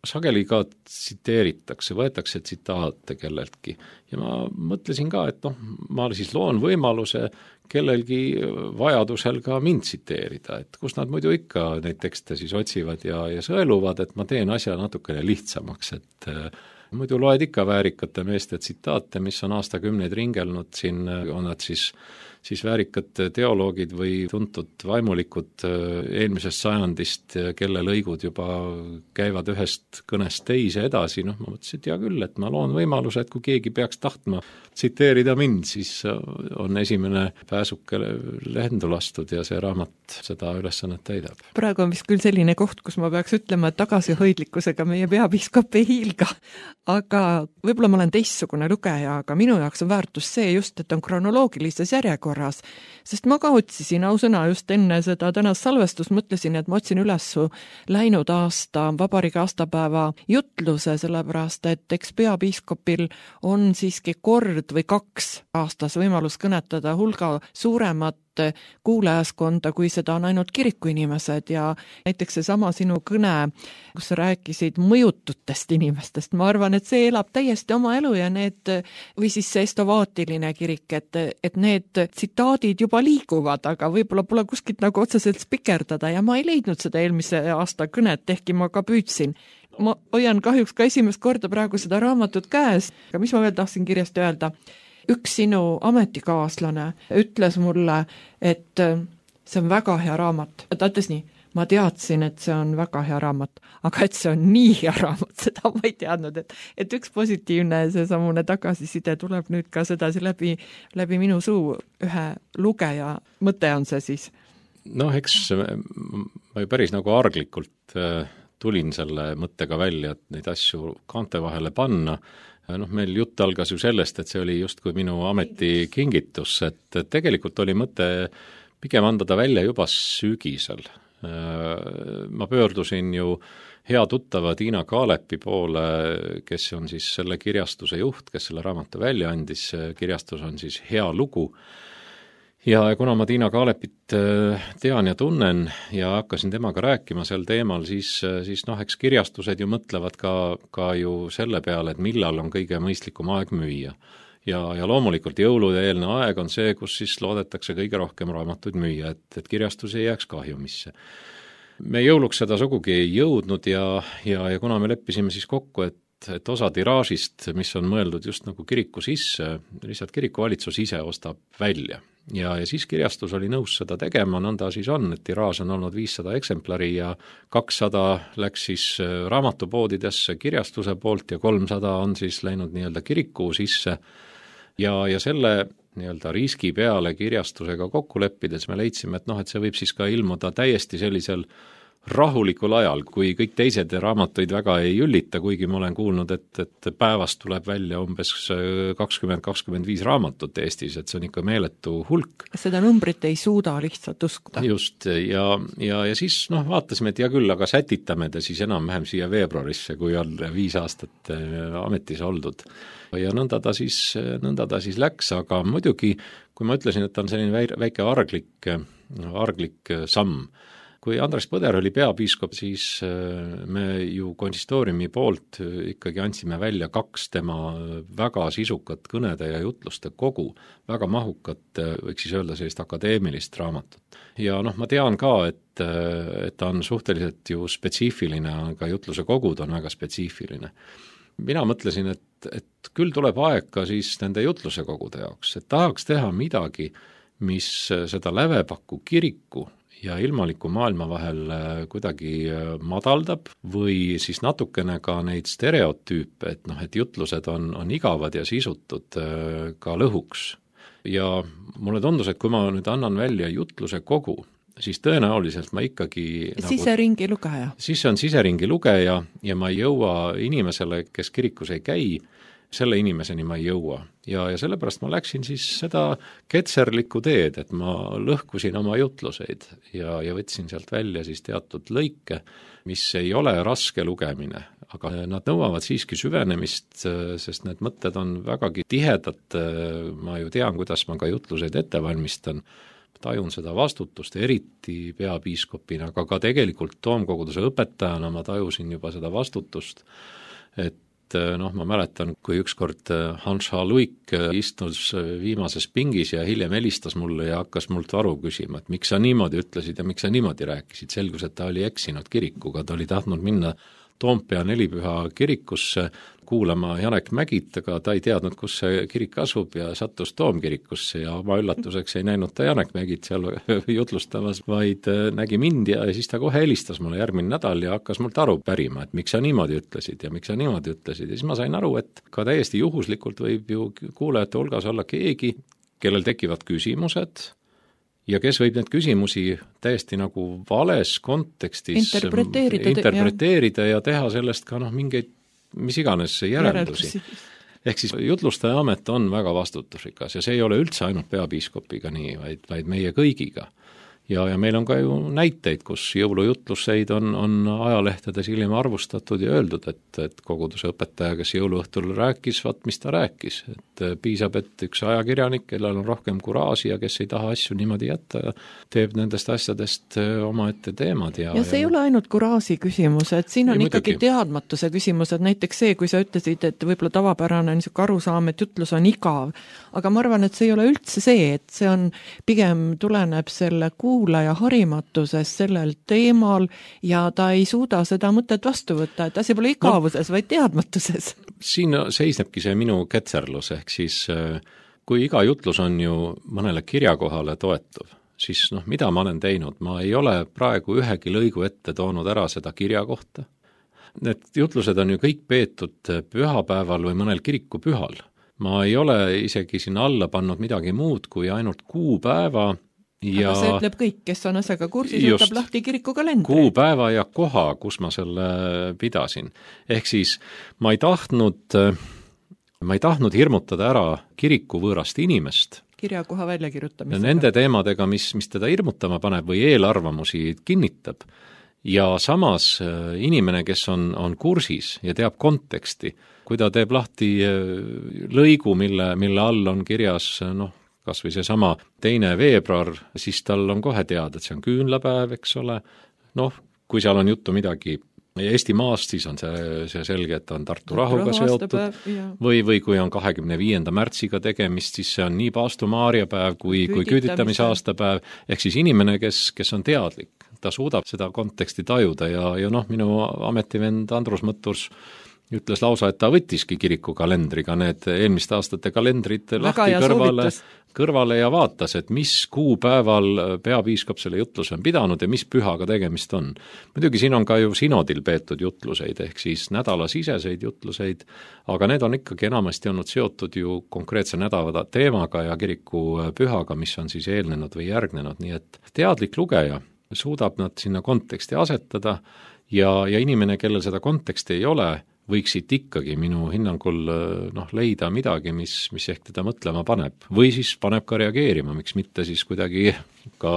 sageli ka tsiteeritakse, võetakse tsitaate kelleltki ja ma mõtlesin ka, et ma siis loon võimaluse kellelgi vajadusel ka mind tsiteerida, et kus nad muidu ikka neid tekste siis otsivad ja sõeluvad, et ma teen asja natukene lihtsamaks, et muidu loed ikka väärikate meeste tsitaate, mis on aastakümneid ringelnud, siin on nad siis väärikad teoloogid või tuntud vaimulikud eelmisest sajandist, kelle lõigud juba käivad ühest kõnest teise edasi, ma mõtlesin, et hea küll, et ma loon võimaluse, et kui keegi peaks tahtma tsiteerida mind, siis on esimene pääsuke lendu lastud ja see raamat seda ülesannet täidab. Praegu on vist küll selline koht, kus ma peaks ütlema, et tagasihoidlikkusega meie peapiiskop ei hiilga, aga võib-olla ma olen teistsugune lugeja, aga minu jaoks on väärtus see just, et on kronoloogilises järjekorras, sest ma ka otsisin ausõna just enne seda tänast salvestust, mõtlesin, et ma otsin üles läinud aasta vabariigi aastapäeva jutluse, sellepärast et eks peapiiskopil on siiski kord või 2 aastas võimalus kõnetada hulga suuremat kuulajaskonda, kui seda on ainult kirikuinimesed ja näiteks seesama sinu kõne, kus sa rääkisid mõjututest inimestest, ma arvan, et see elab täiesti oma elu ja need, või siis see estovaatiline kirik, et need tsitaadid juba liiguvad, aga võib-olla pole kuskilt nagu otseselt spikerdada ja ma ei leidnud seda eelmise aasta kõnet, ehkki ma ka püüdsin. Ma hoian kahjuks ka esimest korda praegu seda raamatut käes, aga mis ma veel tahtsin kirjast öelda? Üks sinu ametikaaslane ütles mulle, et see on väga hea raamat. Ta ütles nii, ma teadsin, et see on väga hea raamat, aga et see on nii hea raamat, seda ma ei teadnud, et üks positiivne seesamune tagasiside tuleb nüüd ka sedasi läbi minu suu ühe lugeja. Mõte on see siis? Eks ma ju päris nagu arglikult tulin selle mõttega välja, et neid asju kaante vahele panna. Meil jutt algas ju sellest, et see oli justkui minu ametikingitus, et tegelikult oli mõte pigem anda ta välja juba sügisel. Ma pöördusin ju hea tuttava Tiina Kaalepi poole, kes on siis selle kirjastuse juht, kes selle raamatu välja andis, kirjastus on siis Hea lugu. Ja kuna ma Tiina Kaalepit tean ja tunnen ja hakkasin temaga rääkima sel teemal, siis eks kirjastused ju mõtlevad ka ju selle peale, et millal on kõige mõistlikum aeg müüa. Ja loomulikult jõulude eelne aeg on see, kus siis loodetakse kõige rohkem raamatuid müüa, et kirjastus ei jääks kahjumisse. Me jõuluks seda sugugi ei jõudnud ja kuna me leppisime siis kokku, et osa tiraažist, mis on mõeldud just nagu kiriku sisse, lihtsalt kirikuvalitsus ise ostab välja. Ja siis kirjastus oli nõus seda tegema, nõnda siis on, et tiraaž on olnud 500 eksemplari ja 200 läks siis raamatupoodidesse kirjastuse poolt ja 300 on siis läinud nii-öelda kiriku sisse. Ja selle nii-öelda riski peale kirjastusega kokku leppides me leidsime, et see võib siis ka ilmuda täiesti sellisel rahulikul ajal, kui kõik teised raamatuid väga ei üllita, kuigi ma olen kuulnud, et päevast tuleb välja umbes 20-25 raamatut Eestis, et see on ikka meeletu hulk. Seda numbrit ei suuda lihtsalt uskuda. Just, ja siis vaatasime, et hea küll, aga sätitame ta siis enam-vähem siia veebruarisse, kui on 5 aastat ametis oldud. Ja nõnda ta siis läks, aga muidugi, kui ma ütlesin, et ta on selline väike arglik samm, kui Andres Põder oli peapiiskop, siis me ju konsistooriumi poolt ikkagi andsime välja 2 tema väga sisukat kõnede ja jutluste kogu, väga mahukat, võiks siis öelda sellist akadeemilist raamatut. Ja ma tean ka, et ta on suhteliselt ju spetsiifiline, aga jutluse kogud on väga spetsiifiline. Mina mõtlesin, et küll tuleb aeg ka siis nende jutluse kogude jaoks, et tahaks teha midagi, mis seda Lävepaku kiriku ja ilmaliku maailma vahel kuidagi madaldab või siis natukene ka neid stereotüüpe, et jutlused on igavad ja sisutud ka lõhuks. Ja mulle tundus, et kui ma nüüd annan välja jutluse kogu, siis tõenäoliselt ma ikkagi siseringi lugeja. Siis on siseringi lugeja ja ma ei jõua inimesele, kes kirikus ei käi, selle inimeseni ma ei jõua. Ja sellepärast ma läksin siis seda ketserlikku teed, et ma lõhkusin oma jutluseid ja võtsin sealt välja siis teatud lõike, mis ei ole raske lugemine, aga nad nõuavad siiski süvenemist, sest need mõtted on vägagi tihedad, ma ju tean, kuidas ma ka jutluseid ette valmistan, tajun seda vastutust, eriti peapiiskopina, aga ka tegelikult toomkoguduse õpetajana ma tajusin juba seda vastutust, et ma mäletan, kui ükskord Hans H. Luik istus viimases pingis ja hiljem helistas mulle ja hakkas mult aru küsima, et miks sa niimoodi ütlesid ja miks sa niimoodi rääkisid. Selgus, et ta oli eksinud kirikuga, ta oli tahtnud minna Toompea Nelipüha kirikusse kuulama Janek Mägit, aga ta ei teadnud, kus see kirik asub ja sattus Toomkirikusse ja oma üllatuseks ei näinud ta Janek Mägit seal jutlustamas, vaid nägi mind ja siis ta kohe helistas mulle järgmine nädal ja hakkas mult aru pärima, et miks sa niimoodi ütlesid ja miks sa niimoodi ütlesid. Ja siis ma sain aru, et ka täiesti juhuslikult võib ju kuulajate hulgas olla keegi, kellel tekivad küsimused ja kes võib need küsimusi täiesti nagu vales kontekstis interpreteerida ja teha sellest ka mingeid mis iganes järeldusi. Ehk siis jutlustaja amet on väga vastutusrikas ja see ei ole üldse ainult peapiiskopiga nii, vaid meie kõigiga. Ja meil on ka ju näiteid, kus jõulujutluseid on ajalehtedes hiljem arvustatud ja öeldud, et koguduse õpetaja, kes jõuluõhtul rääkis, mis ta rääkis. Et piisab, et üks ajakirjanik, kellel on rohkem kuraaži ja kes ei taha asju niimoodi jätta, teeb nendest asjadest omaette teemad. Ja see ei ole ainult kuraaži küsimus, et siin on ikkagi teadmatuse küsimus, et näiteks see, kui sa ütlesid, et võib-olla tavapärane niisugune arusaam, et jutlus on igav, aga ma arvan, et see ei ole üldse see, et see on pigem tuleneb selle kuulaja harimatusest sellel teemal ja ta ei suuda seda mõtet vastu võtta, et asi pole igavuses, vaid teadmatuses. Siin seisnebki see minu ketserlus, ehk siis kui iga jutlus on ju mõnele kirjakohale toetuv, siis mida ma olen teinud? Ma ei ole praegu ühegi lõigu ette toonud ära seda kirjakohta. Need jutlused on ju kõik peetud pühapäeval või mõnel kirikupühal. Ma ei ole isegi sinna alla pannud midagi muud kui ainult kuupäeva. Aga see ütleb kõik, kes on asjaga kursis, võtab lahti kirikukalendri. Kuupäeva ja koha, kus ma selle pidasin. Ehk siis ma ei tahtnud hirmutada ära kiriku võõrast inimest, kirjakoha väljakirjutamisega. Nende teemadega, mis teda hirmutama paneb või eelarvamusi kinnitab. Ja samas inimene, kes on kursis ja teab konteksti, kui ta teeb lahti lõigu, mille all on kirjas, kas või seesama 2. veebruar, siis tal on kohe teada, et see on küünlapäev, eks ole. Kui seal on juttu midagi Eesti maast, siis on see selge, et on Tartu rahuga seotud või kui on 25. märtsiga tegemist, siis see on nii Paastu-Maarja päev kui küüditamise aastapäev, ehk siis inimene, kes on teadlik, ta suudab seda konteksti tajuda ja minu ametivend Andrus Mõtturs ütles lausa, et ta võttiski kirikukalendriga need eelmiste aastate kalendrid lahti kõrvale ja vaatas, et mis kuupäeval peapiiskop selle jutluse on pidanud ja mis pühaga tegemist on. Muidugi siin on ka ju sinodil peetud jutluseid, ehk siis nädalasiseseid jutluseid, aga need on ikkagi enamasti olnud seotud ju konkreetse nädala teemaga ja kiriku pühaga, mis on siis eelnenud või järgnenud, nii et teadlik lugeja suudab nad sinna konteksti asetada ja inimene, kellel seda konteksti ei ole, võiks siit ikkagi minu hinnangul leida midagi, mis ehk teda mõtlema paneb. Või siis paneb ka reageerima, miks mitte siis kuidagi ka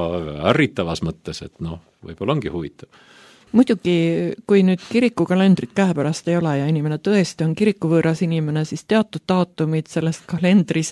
ärritavas mõttes, et võib-olla ongi huvitav. Muidugi, kui nüüd kirikukalendrit käepärast ei ole ja inimene tõesti on kirikuvõõras inimene, siis teatud daatumid selles kalendris,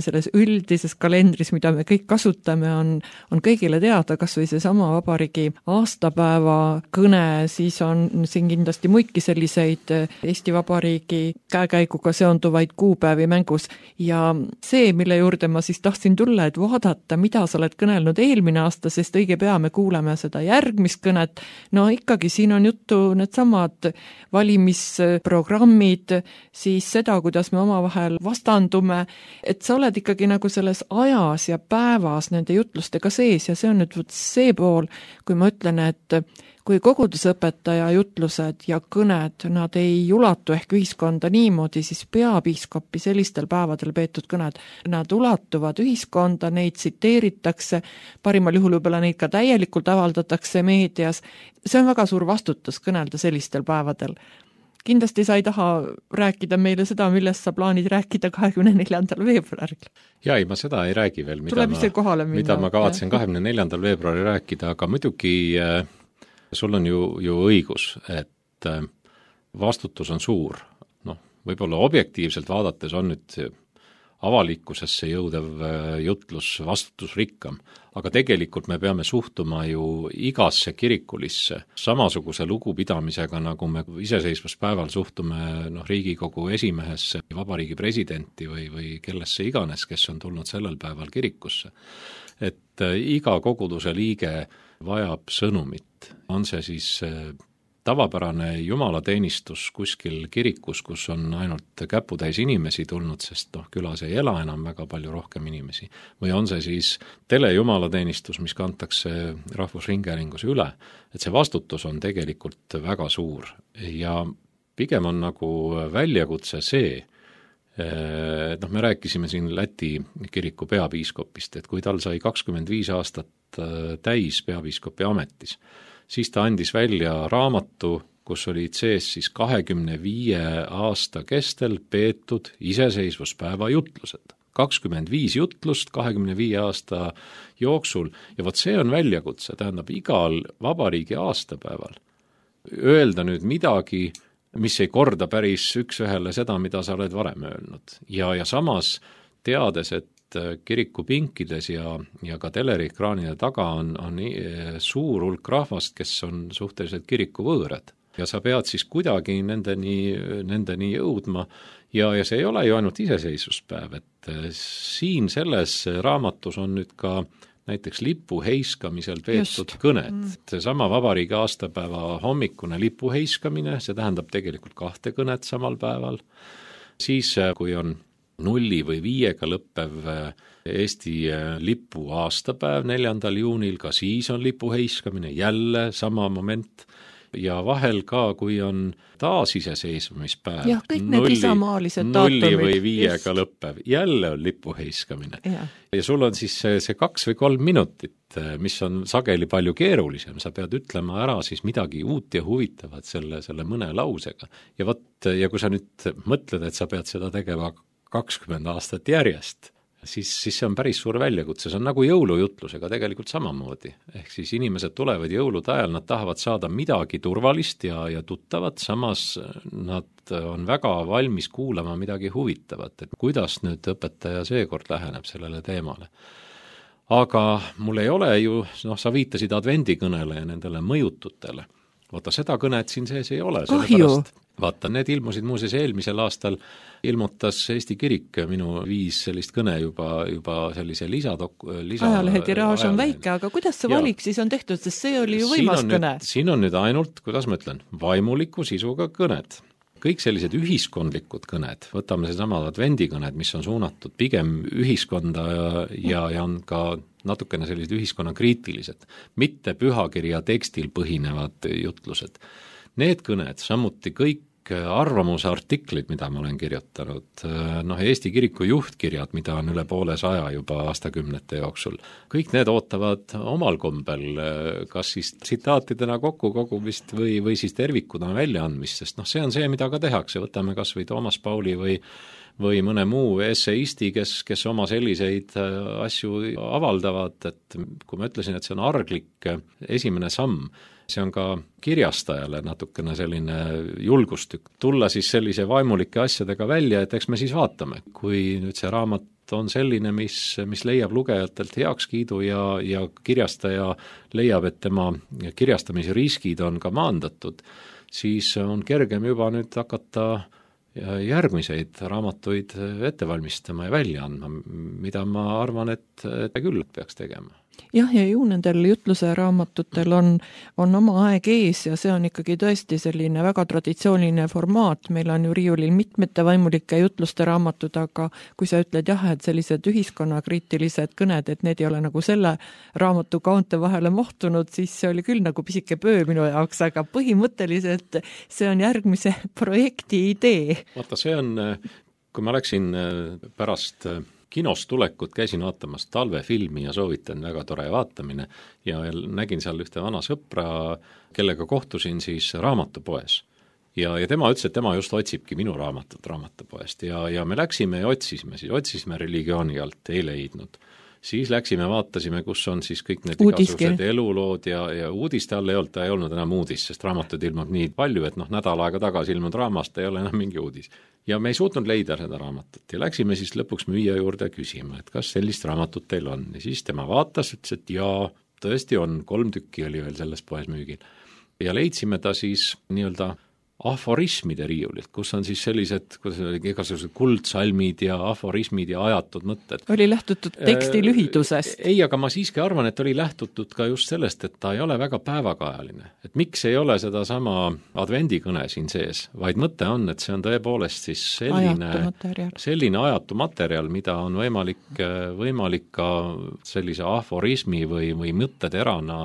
selles üldises kalendris, mida me kõik kasutame, on kõigile teada, kas või seesama vabariigi aastapäeva kõne, siis on siin kindlasti muidki selliseid Eesti Vabariigi käekäiguga seonduvaid kuupäevi mängus. Ja see, mille juurde ma siis tahtsin tulla, et vaadata, mida sa oled kõnelnud eelmine aasta, sest õige pea me kuuleme seda järgmist kõnet. Ikkagi siin on juttu needsamad valimisprogrammid, siis seda, kuidas me omavahel vastandume, et sa oled ikkagi nagu selles ajas ja päevas nende jutlustega sees ja see on nüüd see pool, kui ma ütlen, et kui kogudusõpetaja jutlused ja kõned, nad ei ulatu ehk ühiskonda niimoodi, siis peapiiskopi sellistel päevadel peetud kõned, nad ulatuvad ühiskonda, neid tsiteeritakse, parimal juhul võib-olla neid ka täielikult avaldatakse meedias. See on väga suur vastutus kõnelda sellistel päevadel. Kindlasti sa ei taha rääkida meile seda, millest sa plaanid rääkida 24. veebruaril. Ja ei, ma seda ei räägi veel, mida ma kavatsen 24. veebruaril rääkida, aga muidugi sul on ju õigus, et vastutus on suur. Võib-olla objektiivselt vaadates on nüüd avalikkusesse jõudev jutlus vastutusrikkam, aga tegelikult me peame suhtuma ju igasse kirikulisse samasuguse lugupidamisega, nagu me iseseisvuspäeval suhtume Riigikogu esimehesse, vabariigi presidenti või kellesse iganes, kes on tulnud sellel päeval kirikusse. Et iga koguduse liige vajab sõnumit, on see siis tavapärane jumalateenistus kuskil kirikus, kus on ainult käputäis inimesi tulnud, sest külas ei ela enam väga palju rohkem inimesi. Või on see siis telejumalateenistus, mis kantakse Rahvusringhäälingus üle, et see vastutus on tegelikult väga suur. Ja pigem on nagu väljakutse see, me rääkisime siin Läti kiriku peapiiskopist, et kui tal sai 25 aastat täis peapiiskopi ametis, siis ta andis välja raamatu, kus olid sees siis 25 aasta kestel peetud iseseisvuspäeva jutlused. 25 jutlust 25 aasta jooksul ja see on väljakutse, tähendab igal vabariigi aastapäeval öelda nüüd midagi, mis ei korda päris üks-ühele seda, mida sa oled varem öelnud. Ja samas teades, et kirikupinkides ja ka teleekraanide taga on suur hulk rahvast, kes on suhteliselt kirikuvõõrad. Ja sa pead siis kuidagi nendeni jõudma ja see ei ole ju ainult iseseisvuspäev, et siin selles raamatus on nüüd ka näiteks lipu heiskamisel peetud kõnet. Seesama vabariigi aastapäeva hommikune lipu heiskamine, see tähendab tegelikult 2 kõnet samal päeval. Siis, kui on 0 või 5 lõppev Eesti lipu aastapäev 4. juunil, ka siis on lipu heiskamine, jälle sama moment. Ja vahel ka, kui on taasiseseisvumispäev, ja, 0 või 5 lõppev, jälle on lipu heiskamine. Ja sul on siis see 2 või 3 minutit, mis on sageli palju keerulisem, sa pead ütlema ära siis midagi uut ja huvitavat selle mõne lausega. Ja kui sa nüüd mõtled, et sa pead seda tegema 20 aastat järjest, siis see on päris suur väljakutse, see on nagu jõulujutlusega tegelikult samamoodi. Ehk siis inimesed tulevad jõulude ajal, nad tahavad saada midagi turvalist ja tuttavat, samas nad on väga valmis kuulama midagi huvitavat, et kuidas nüüd õpetaja seekord läheneb sellele teemale. Aga mul ei ole ju, sa viitasid advendikõnele ja nendele mõjututele. Vaata, seda kõnet siin sees ei ole. Vaata, need ilmusid muuseas eelmisel aastal, ilmutas Eesti Kirik minu 5 sellist kõne juba sellise ajalehe tiraaž on väike, aga kuidas see valik siis on tehtud, sest see oli ju võimas kõne? Siin on nüüd ainult, kuidas ma ütlen, vaimuliku sisuga kõned. Kõik sellised ühiskondlikud kõned, võtame seesama advendikõned, mis on suunatud pigem ühiskonda ja on ka natukene sellised ühiskonnakriitilised, mitte pühakirja tekstil põhinevad jutlused. Need kõned, samuti kõik arvamusartiklid, mida ma olen kirjutanud, Eesti Kiriku juhtkirjad, mida on üle 200 juba aastakümnete jooksul, kõik need ootavad omal kombel, kas siis tsitaatidena kokkukogumist või siis tervikuna väljaandmist, sest see on see, mida ka tehakse, võtame kas või Toomas Pauli või mõne muu esseisti, kes oma selliseid asju avaldavad, et kui ma ütlesin, et see on arglik esimene samm, see on ka kirjastajale natukene selline julgustükk tulla siis sellise vaimulike asjadega välja, et eks me siis vaatame, kui nüüd see raamat on selline, mis leiab lugejatelt heakskiidu ja kirjastaja leiab, et tema kirjastamise riskid on ka maandatud, siis on kergem juba nüüd hakata järgmiseid raamatuid ette valmistama ja välja andma, mida ma arvan, et küll peaks tegema. Jah, ja ju nendel jutluse raamatutel on oma aeg ees ja see on ikkagi tõesti selline väga traditsiooniline formaat, meil on ju riiulil mitmete vaimulike jutluste raamatud, aga kui sa ütled et sellised ühiskonnakriitilised kõned, et need ei ole nagu selle raamatu kaunte vahele mahtunud, siis see oli küll nagu pisike pöö minu jaoks, aga põhimõtteliselt see on järgmise projekti idee. Vaata, see on, kui ma läksin pärast kinost tulekut, käisin vaatamas talvefilmi ja soovitan, väga tore vaatamine ja nägin seal ühte vana sõpra, kellega kohtusin siis raamatupoes. Ja tema ütles, et tema just otsibki minu raamatut raamatupoest ja me läksime ja otsisime religiooni alt, ei leidnud. Siis läksime, vaatasime, kus on siis kõik need igasugused elulood ja uudiste all ei olnud enam uudis, sest raamatud ilmub nii palju, et nädal aega tagasi ilmunud raamast ei ole enam mingi uudis. Ja me ei suutnud leida seda raamatut ja läksime siis lõpuks müüja juurde küsima, et kas sellist raamatut teil on. Ja siis tema vaatas, ütles, et jaa, tõesti on, 3 tükki oli veel selles poes müügil. Ja leidsime ta siis nii-öelda aforismide riiulilt, kus on siis sellised, igasugused kuldsalmid ja aforismid ja ajatud mõtted. Oli lähtutud teksti lühidusest? Ei, aga ma siiski arvan, et oli lähtutud ka just sellest, et ta ei ole väga päevakajaline. Et miks ei ole seda sama advendikõne siin sees, vaid mõte on, et see on tõepoolest siis selline ajatu materjal, mida on võimalik ka sellise aforismi või mõtteterana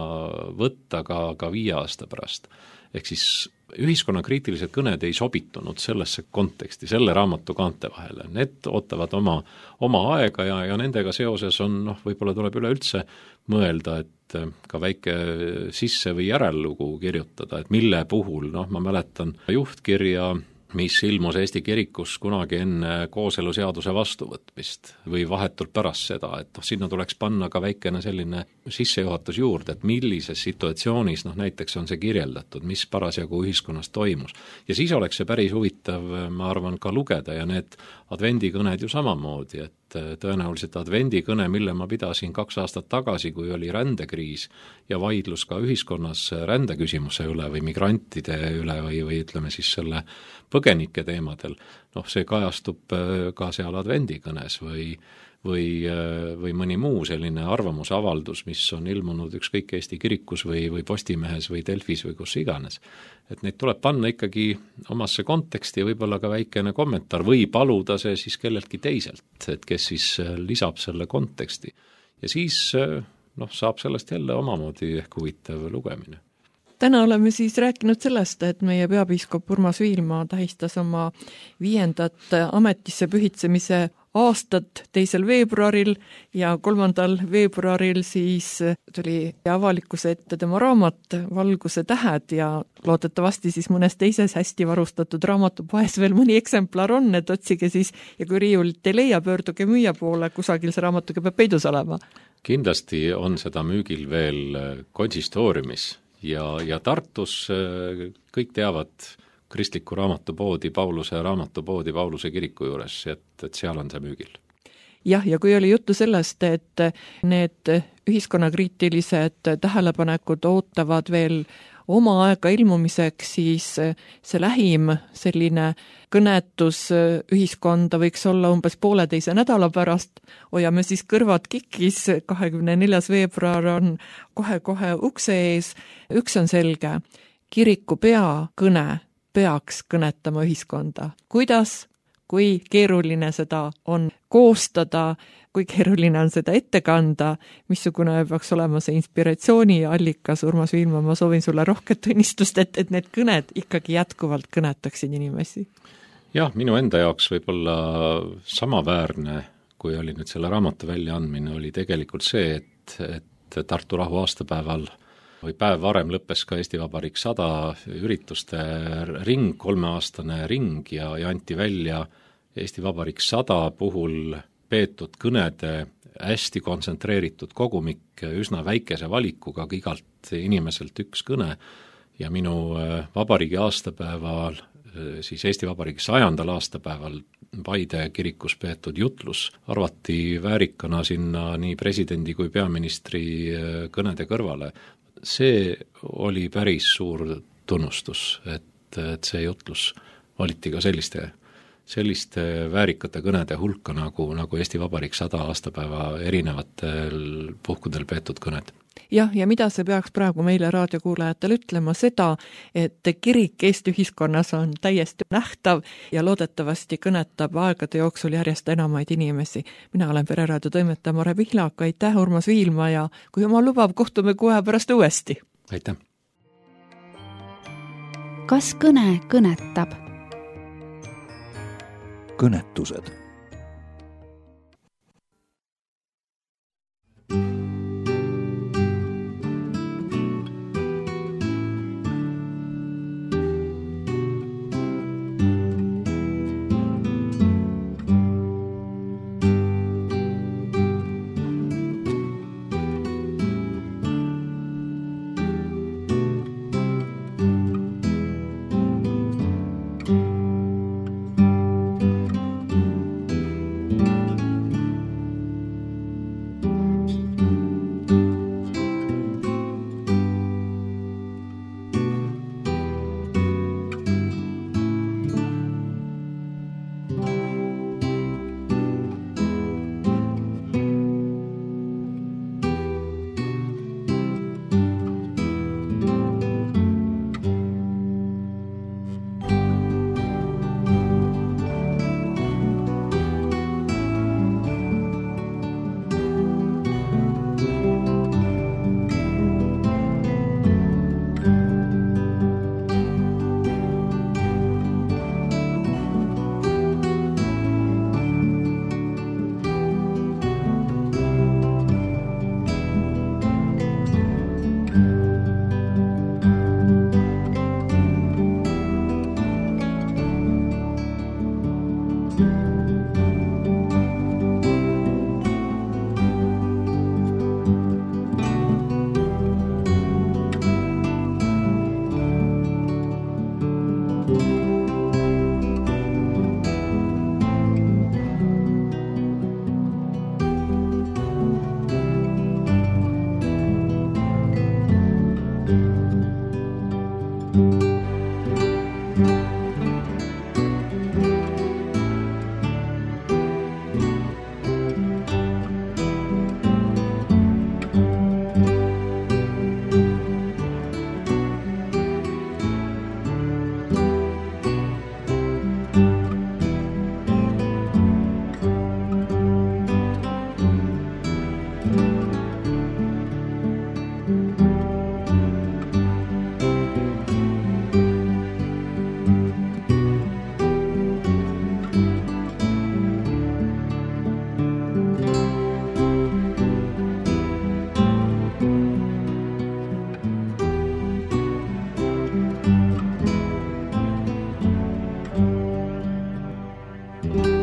võtta ka 5 aasta pärast. Ehk siis ühiskonnakriitilised kõned ei sobitunud sellesse konteksti, selle raamatu kaante vahele. Need ootavad oma aega ja nendega seoses on, võib-olla tuleb üleüldse mõelda, et ka väike sisse- või järellugu kirjutada, et mille puhul, ma mäletan juhtkirja, mis ilmus Eesti Kirikus kunagi enne kooseluseaduse vastuvõtmist või vahetult pärast seda, et sinna tuleks panna ka väikene selline sissejuhatus juurde, et millises situatsioonis näiteks on see kirjeldatud, mis parasjagu ühiskonnas toimus. Ja siis oleks see päris huvitav, ma arvan, ka lugeda ja need advendikõned ju samamoodi, et tõenäoliselt advendikõne, mille ma pidasin 2 aastat tagasi, kui oli rändekriis ja vaidlus ka ühiskonnas rändeküsimuse üle või migrantide üle või ütleme siis selle põgenike teemadel, see kajastub ka seal advendikõnes või mõni muu selline arvamusavaldus, mis on ilmunud ükskõik Eesti Kirikus või Postimehes või Delfis või kus iganes. Et neid tuleb panna ikkagi omasse konteksti ja võib-olla ka väikene kommentaar või paluda see siis kelleltki teiselt, et kes siis lisab selle konteksti. Ja siis saab sellest jälle omamoodi ehk huvitav lugemine. Täna oleme siis rääkinud sellest, et meie peapiiskop Urmas Viilma tähistas oma 5. ametisse pühitsemise aastat 2. veebruaril ja 3. veebruaril siis tuli avalikkuse ette tema raamat Valguse tähed ja loodetavasti siis mõnes teises hästi varustatud raamatupoes veel mõni eksemplar on, et otsige siis ja kui riiulit ei leia, pöörduge müüja poole, kusagil see raamatuga peab peidus olema. Kindlasti on seda müügil veel konsistooriumis ja Tartus kõik teavad kristliku raamatupoodi, Pauluse raamatupoodi Pauluse kiriku juures, et seal on see müügil. Jah, ja kui oli juttu sellest, et need ühiskonnakriitilised tähelepanekud ootavad veel oma aega ilmumiseks, siis see lähim selline kõnetus ühiskonda võiks olla umbes 1,5 nädala pärast. Hoiame siis kõrvad kikis, 24. veebruar on kohe-kohe ukse ees. Üks on selge, kiriku peakõne peaks kõnetama ühiskonda. Kuidas, kui keeruline seda on koostada, kui keeruline on seda ette kanda, missugune peaks olema see inspiratsiooni allikas, Urmas Viilma, ma soovin sulle rohket õnnistust, et need kõned ikkagi jätkuvalt kõnetaksid inimesi. Jah, minu enda jaoks võib-olla samaväärne, kui oli nüüd selle raamatu väljaandmine, oli tegelikult see, et Tartu rahu aastapäeval või päev varem lõppes ka Eesti Vabariik 100 ürituste ring, 3-aastane ring ja anti välja Eesti Vabariik 100 puhul peetud kõnede hästi kontsentreeritud kogumik üsna väikese valikuga, igalt inimeselt üks kõne ja minu vabariigi aastapäeval, siis Eesti Vabariigi 100. aastapäeval Paide kirikus peetud jutlus arvati väärikana sinna nii presidendi kui peaministri kõnede kõrvale. See oli päris suur tunnustus, et see jutlus valiti ka selliste väärikate kõnede hulka nagu Eesti Vabariik 100 aastapäeva erinevatel puhkudel peetud kõned. Jah, ja mida see peaks praegu meile raadiokuulajatel ütlema seda, et kirik Eesti ühiskonnas on täiesti nähtav ja loodetavasti kõnetab aegade jooksul järjest enamaid inimesi. Mina olen Pereraadio toimetaja Mare Pihlak, aitäh Urmas Viilma ja kui oma lubab, kohtume kohe pärast uuesti. Aitäh! Kas kõne kõnetab? Kõnetused. kõnetab.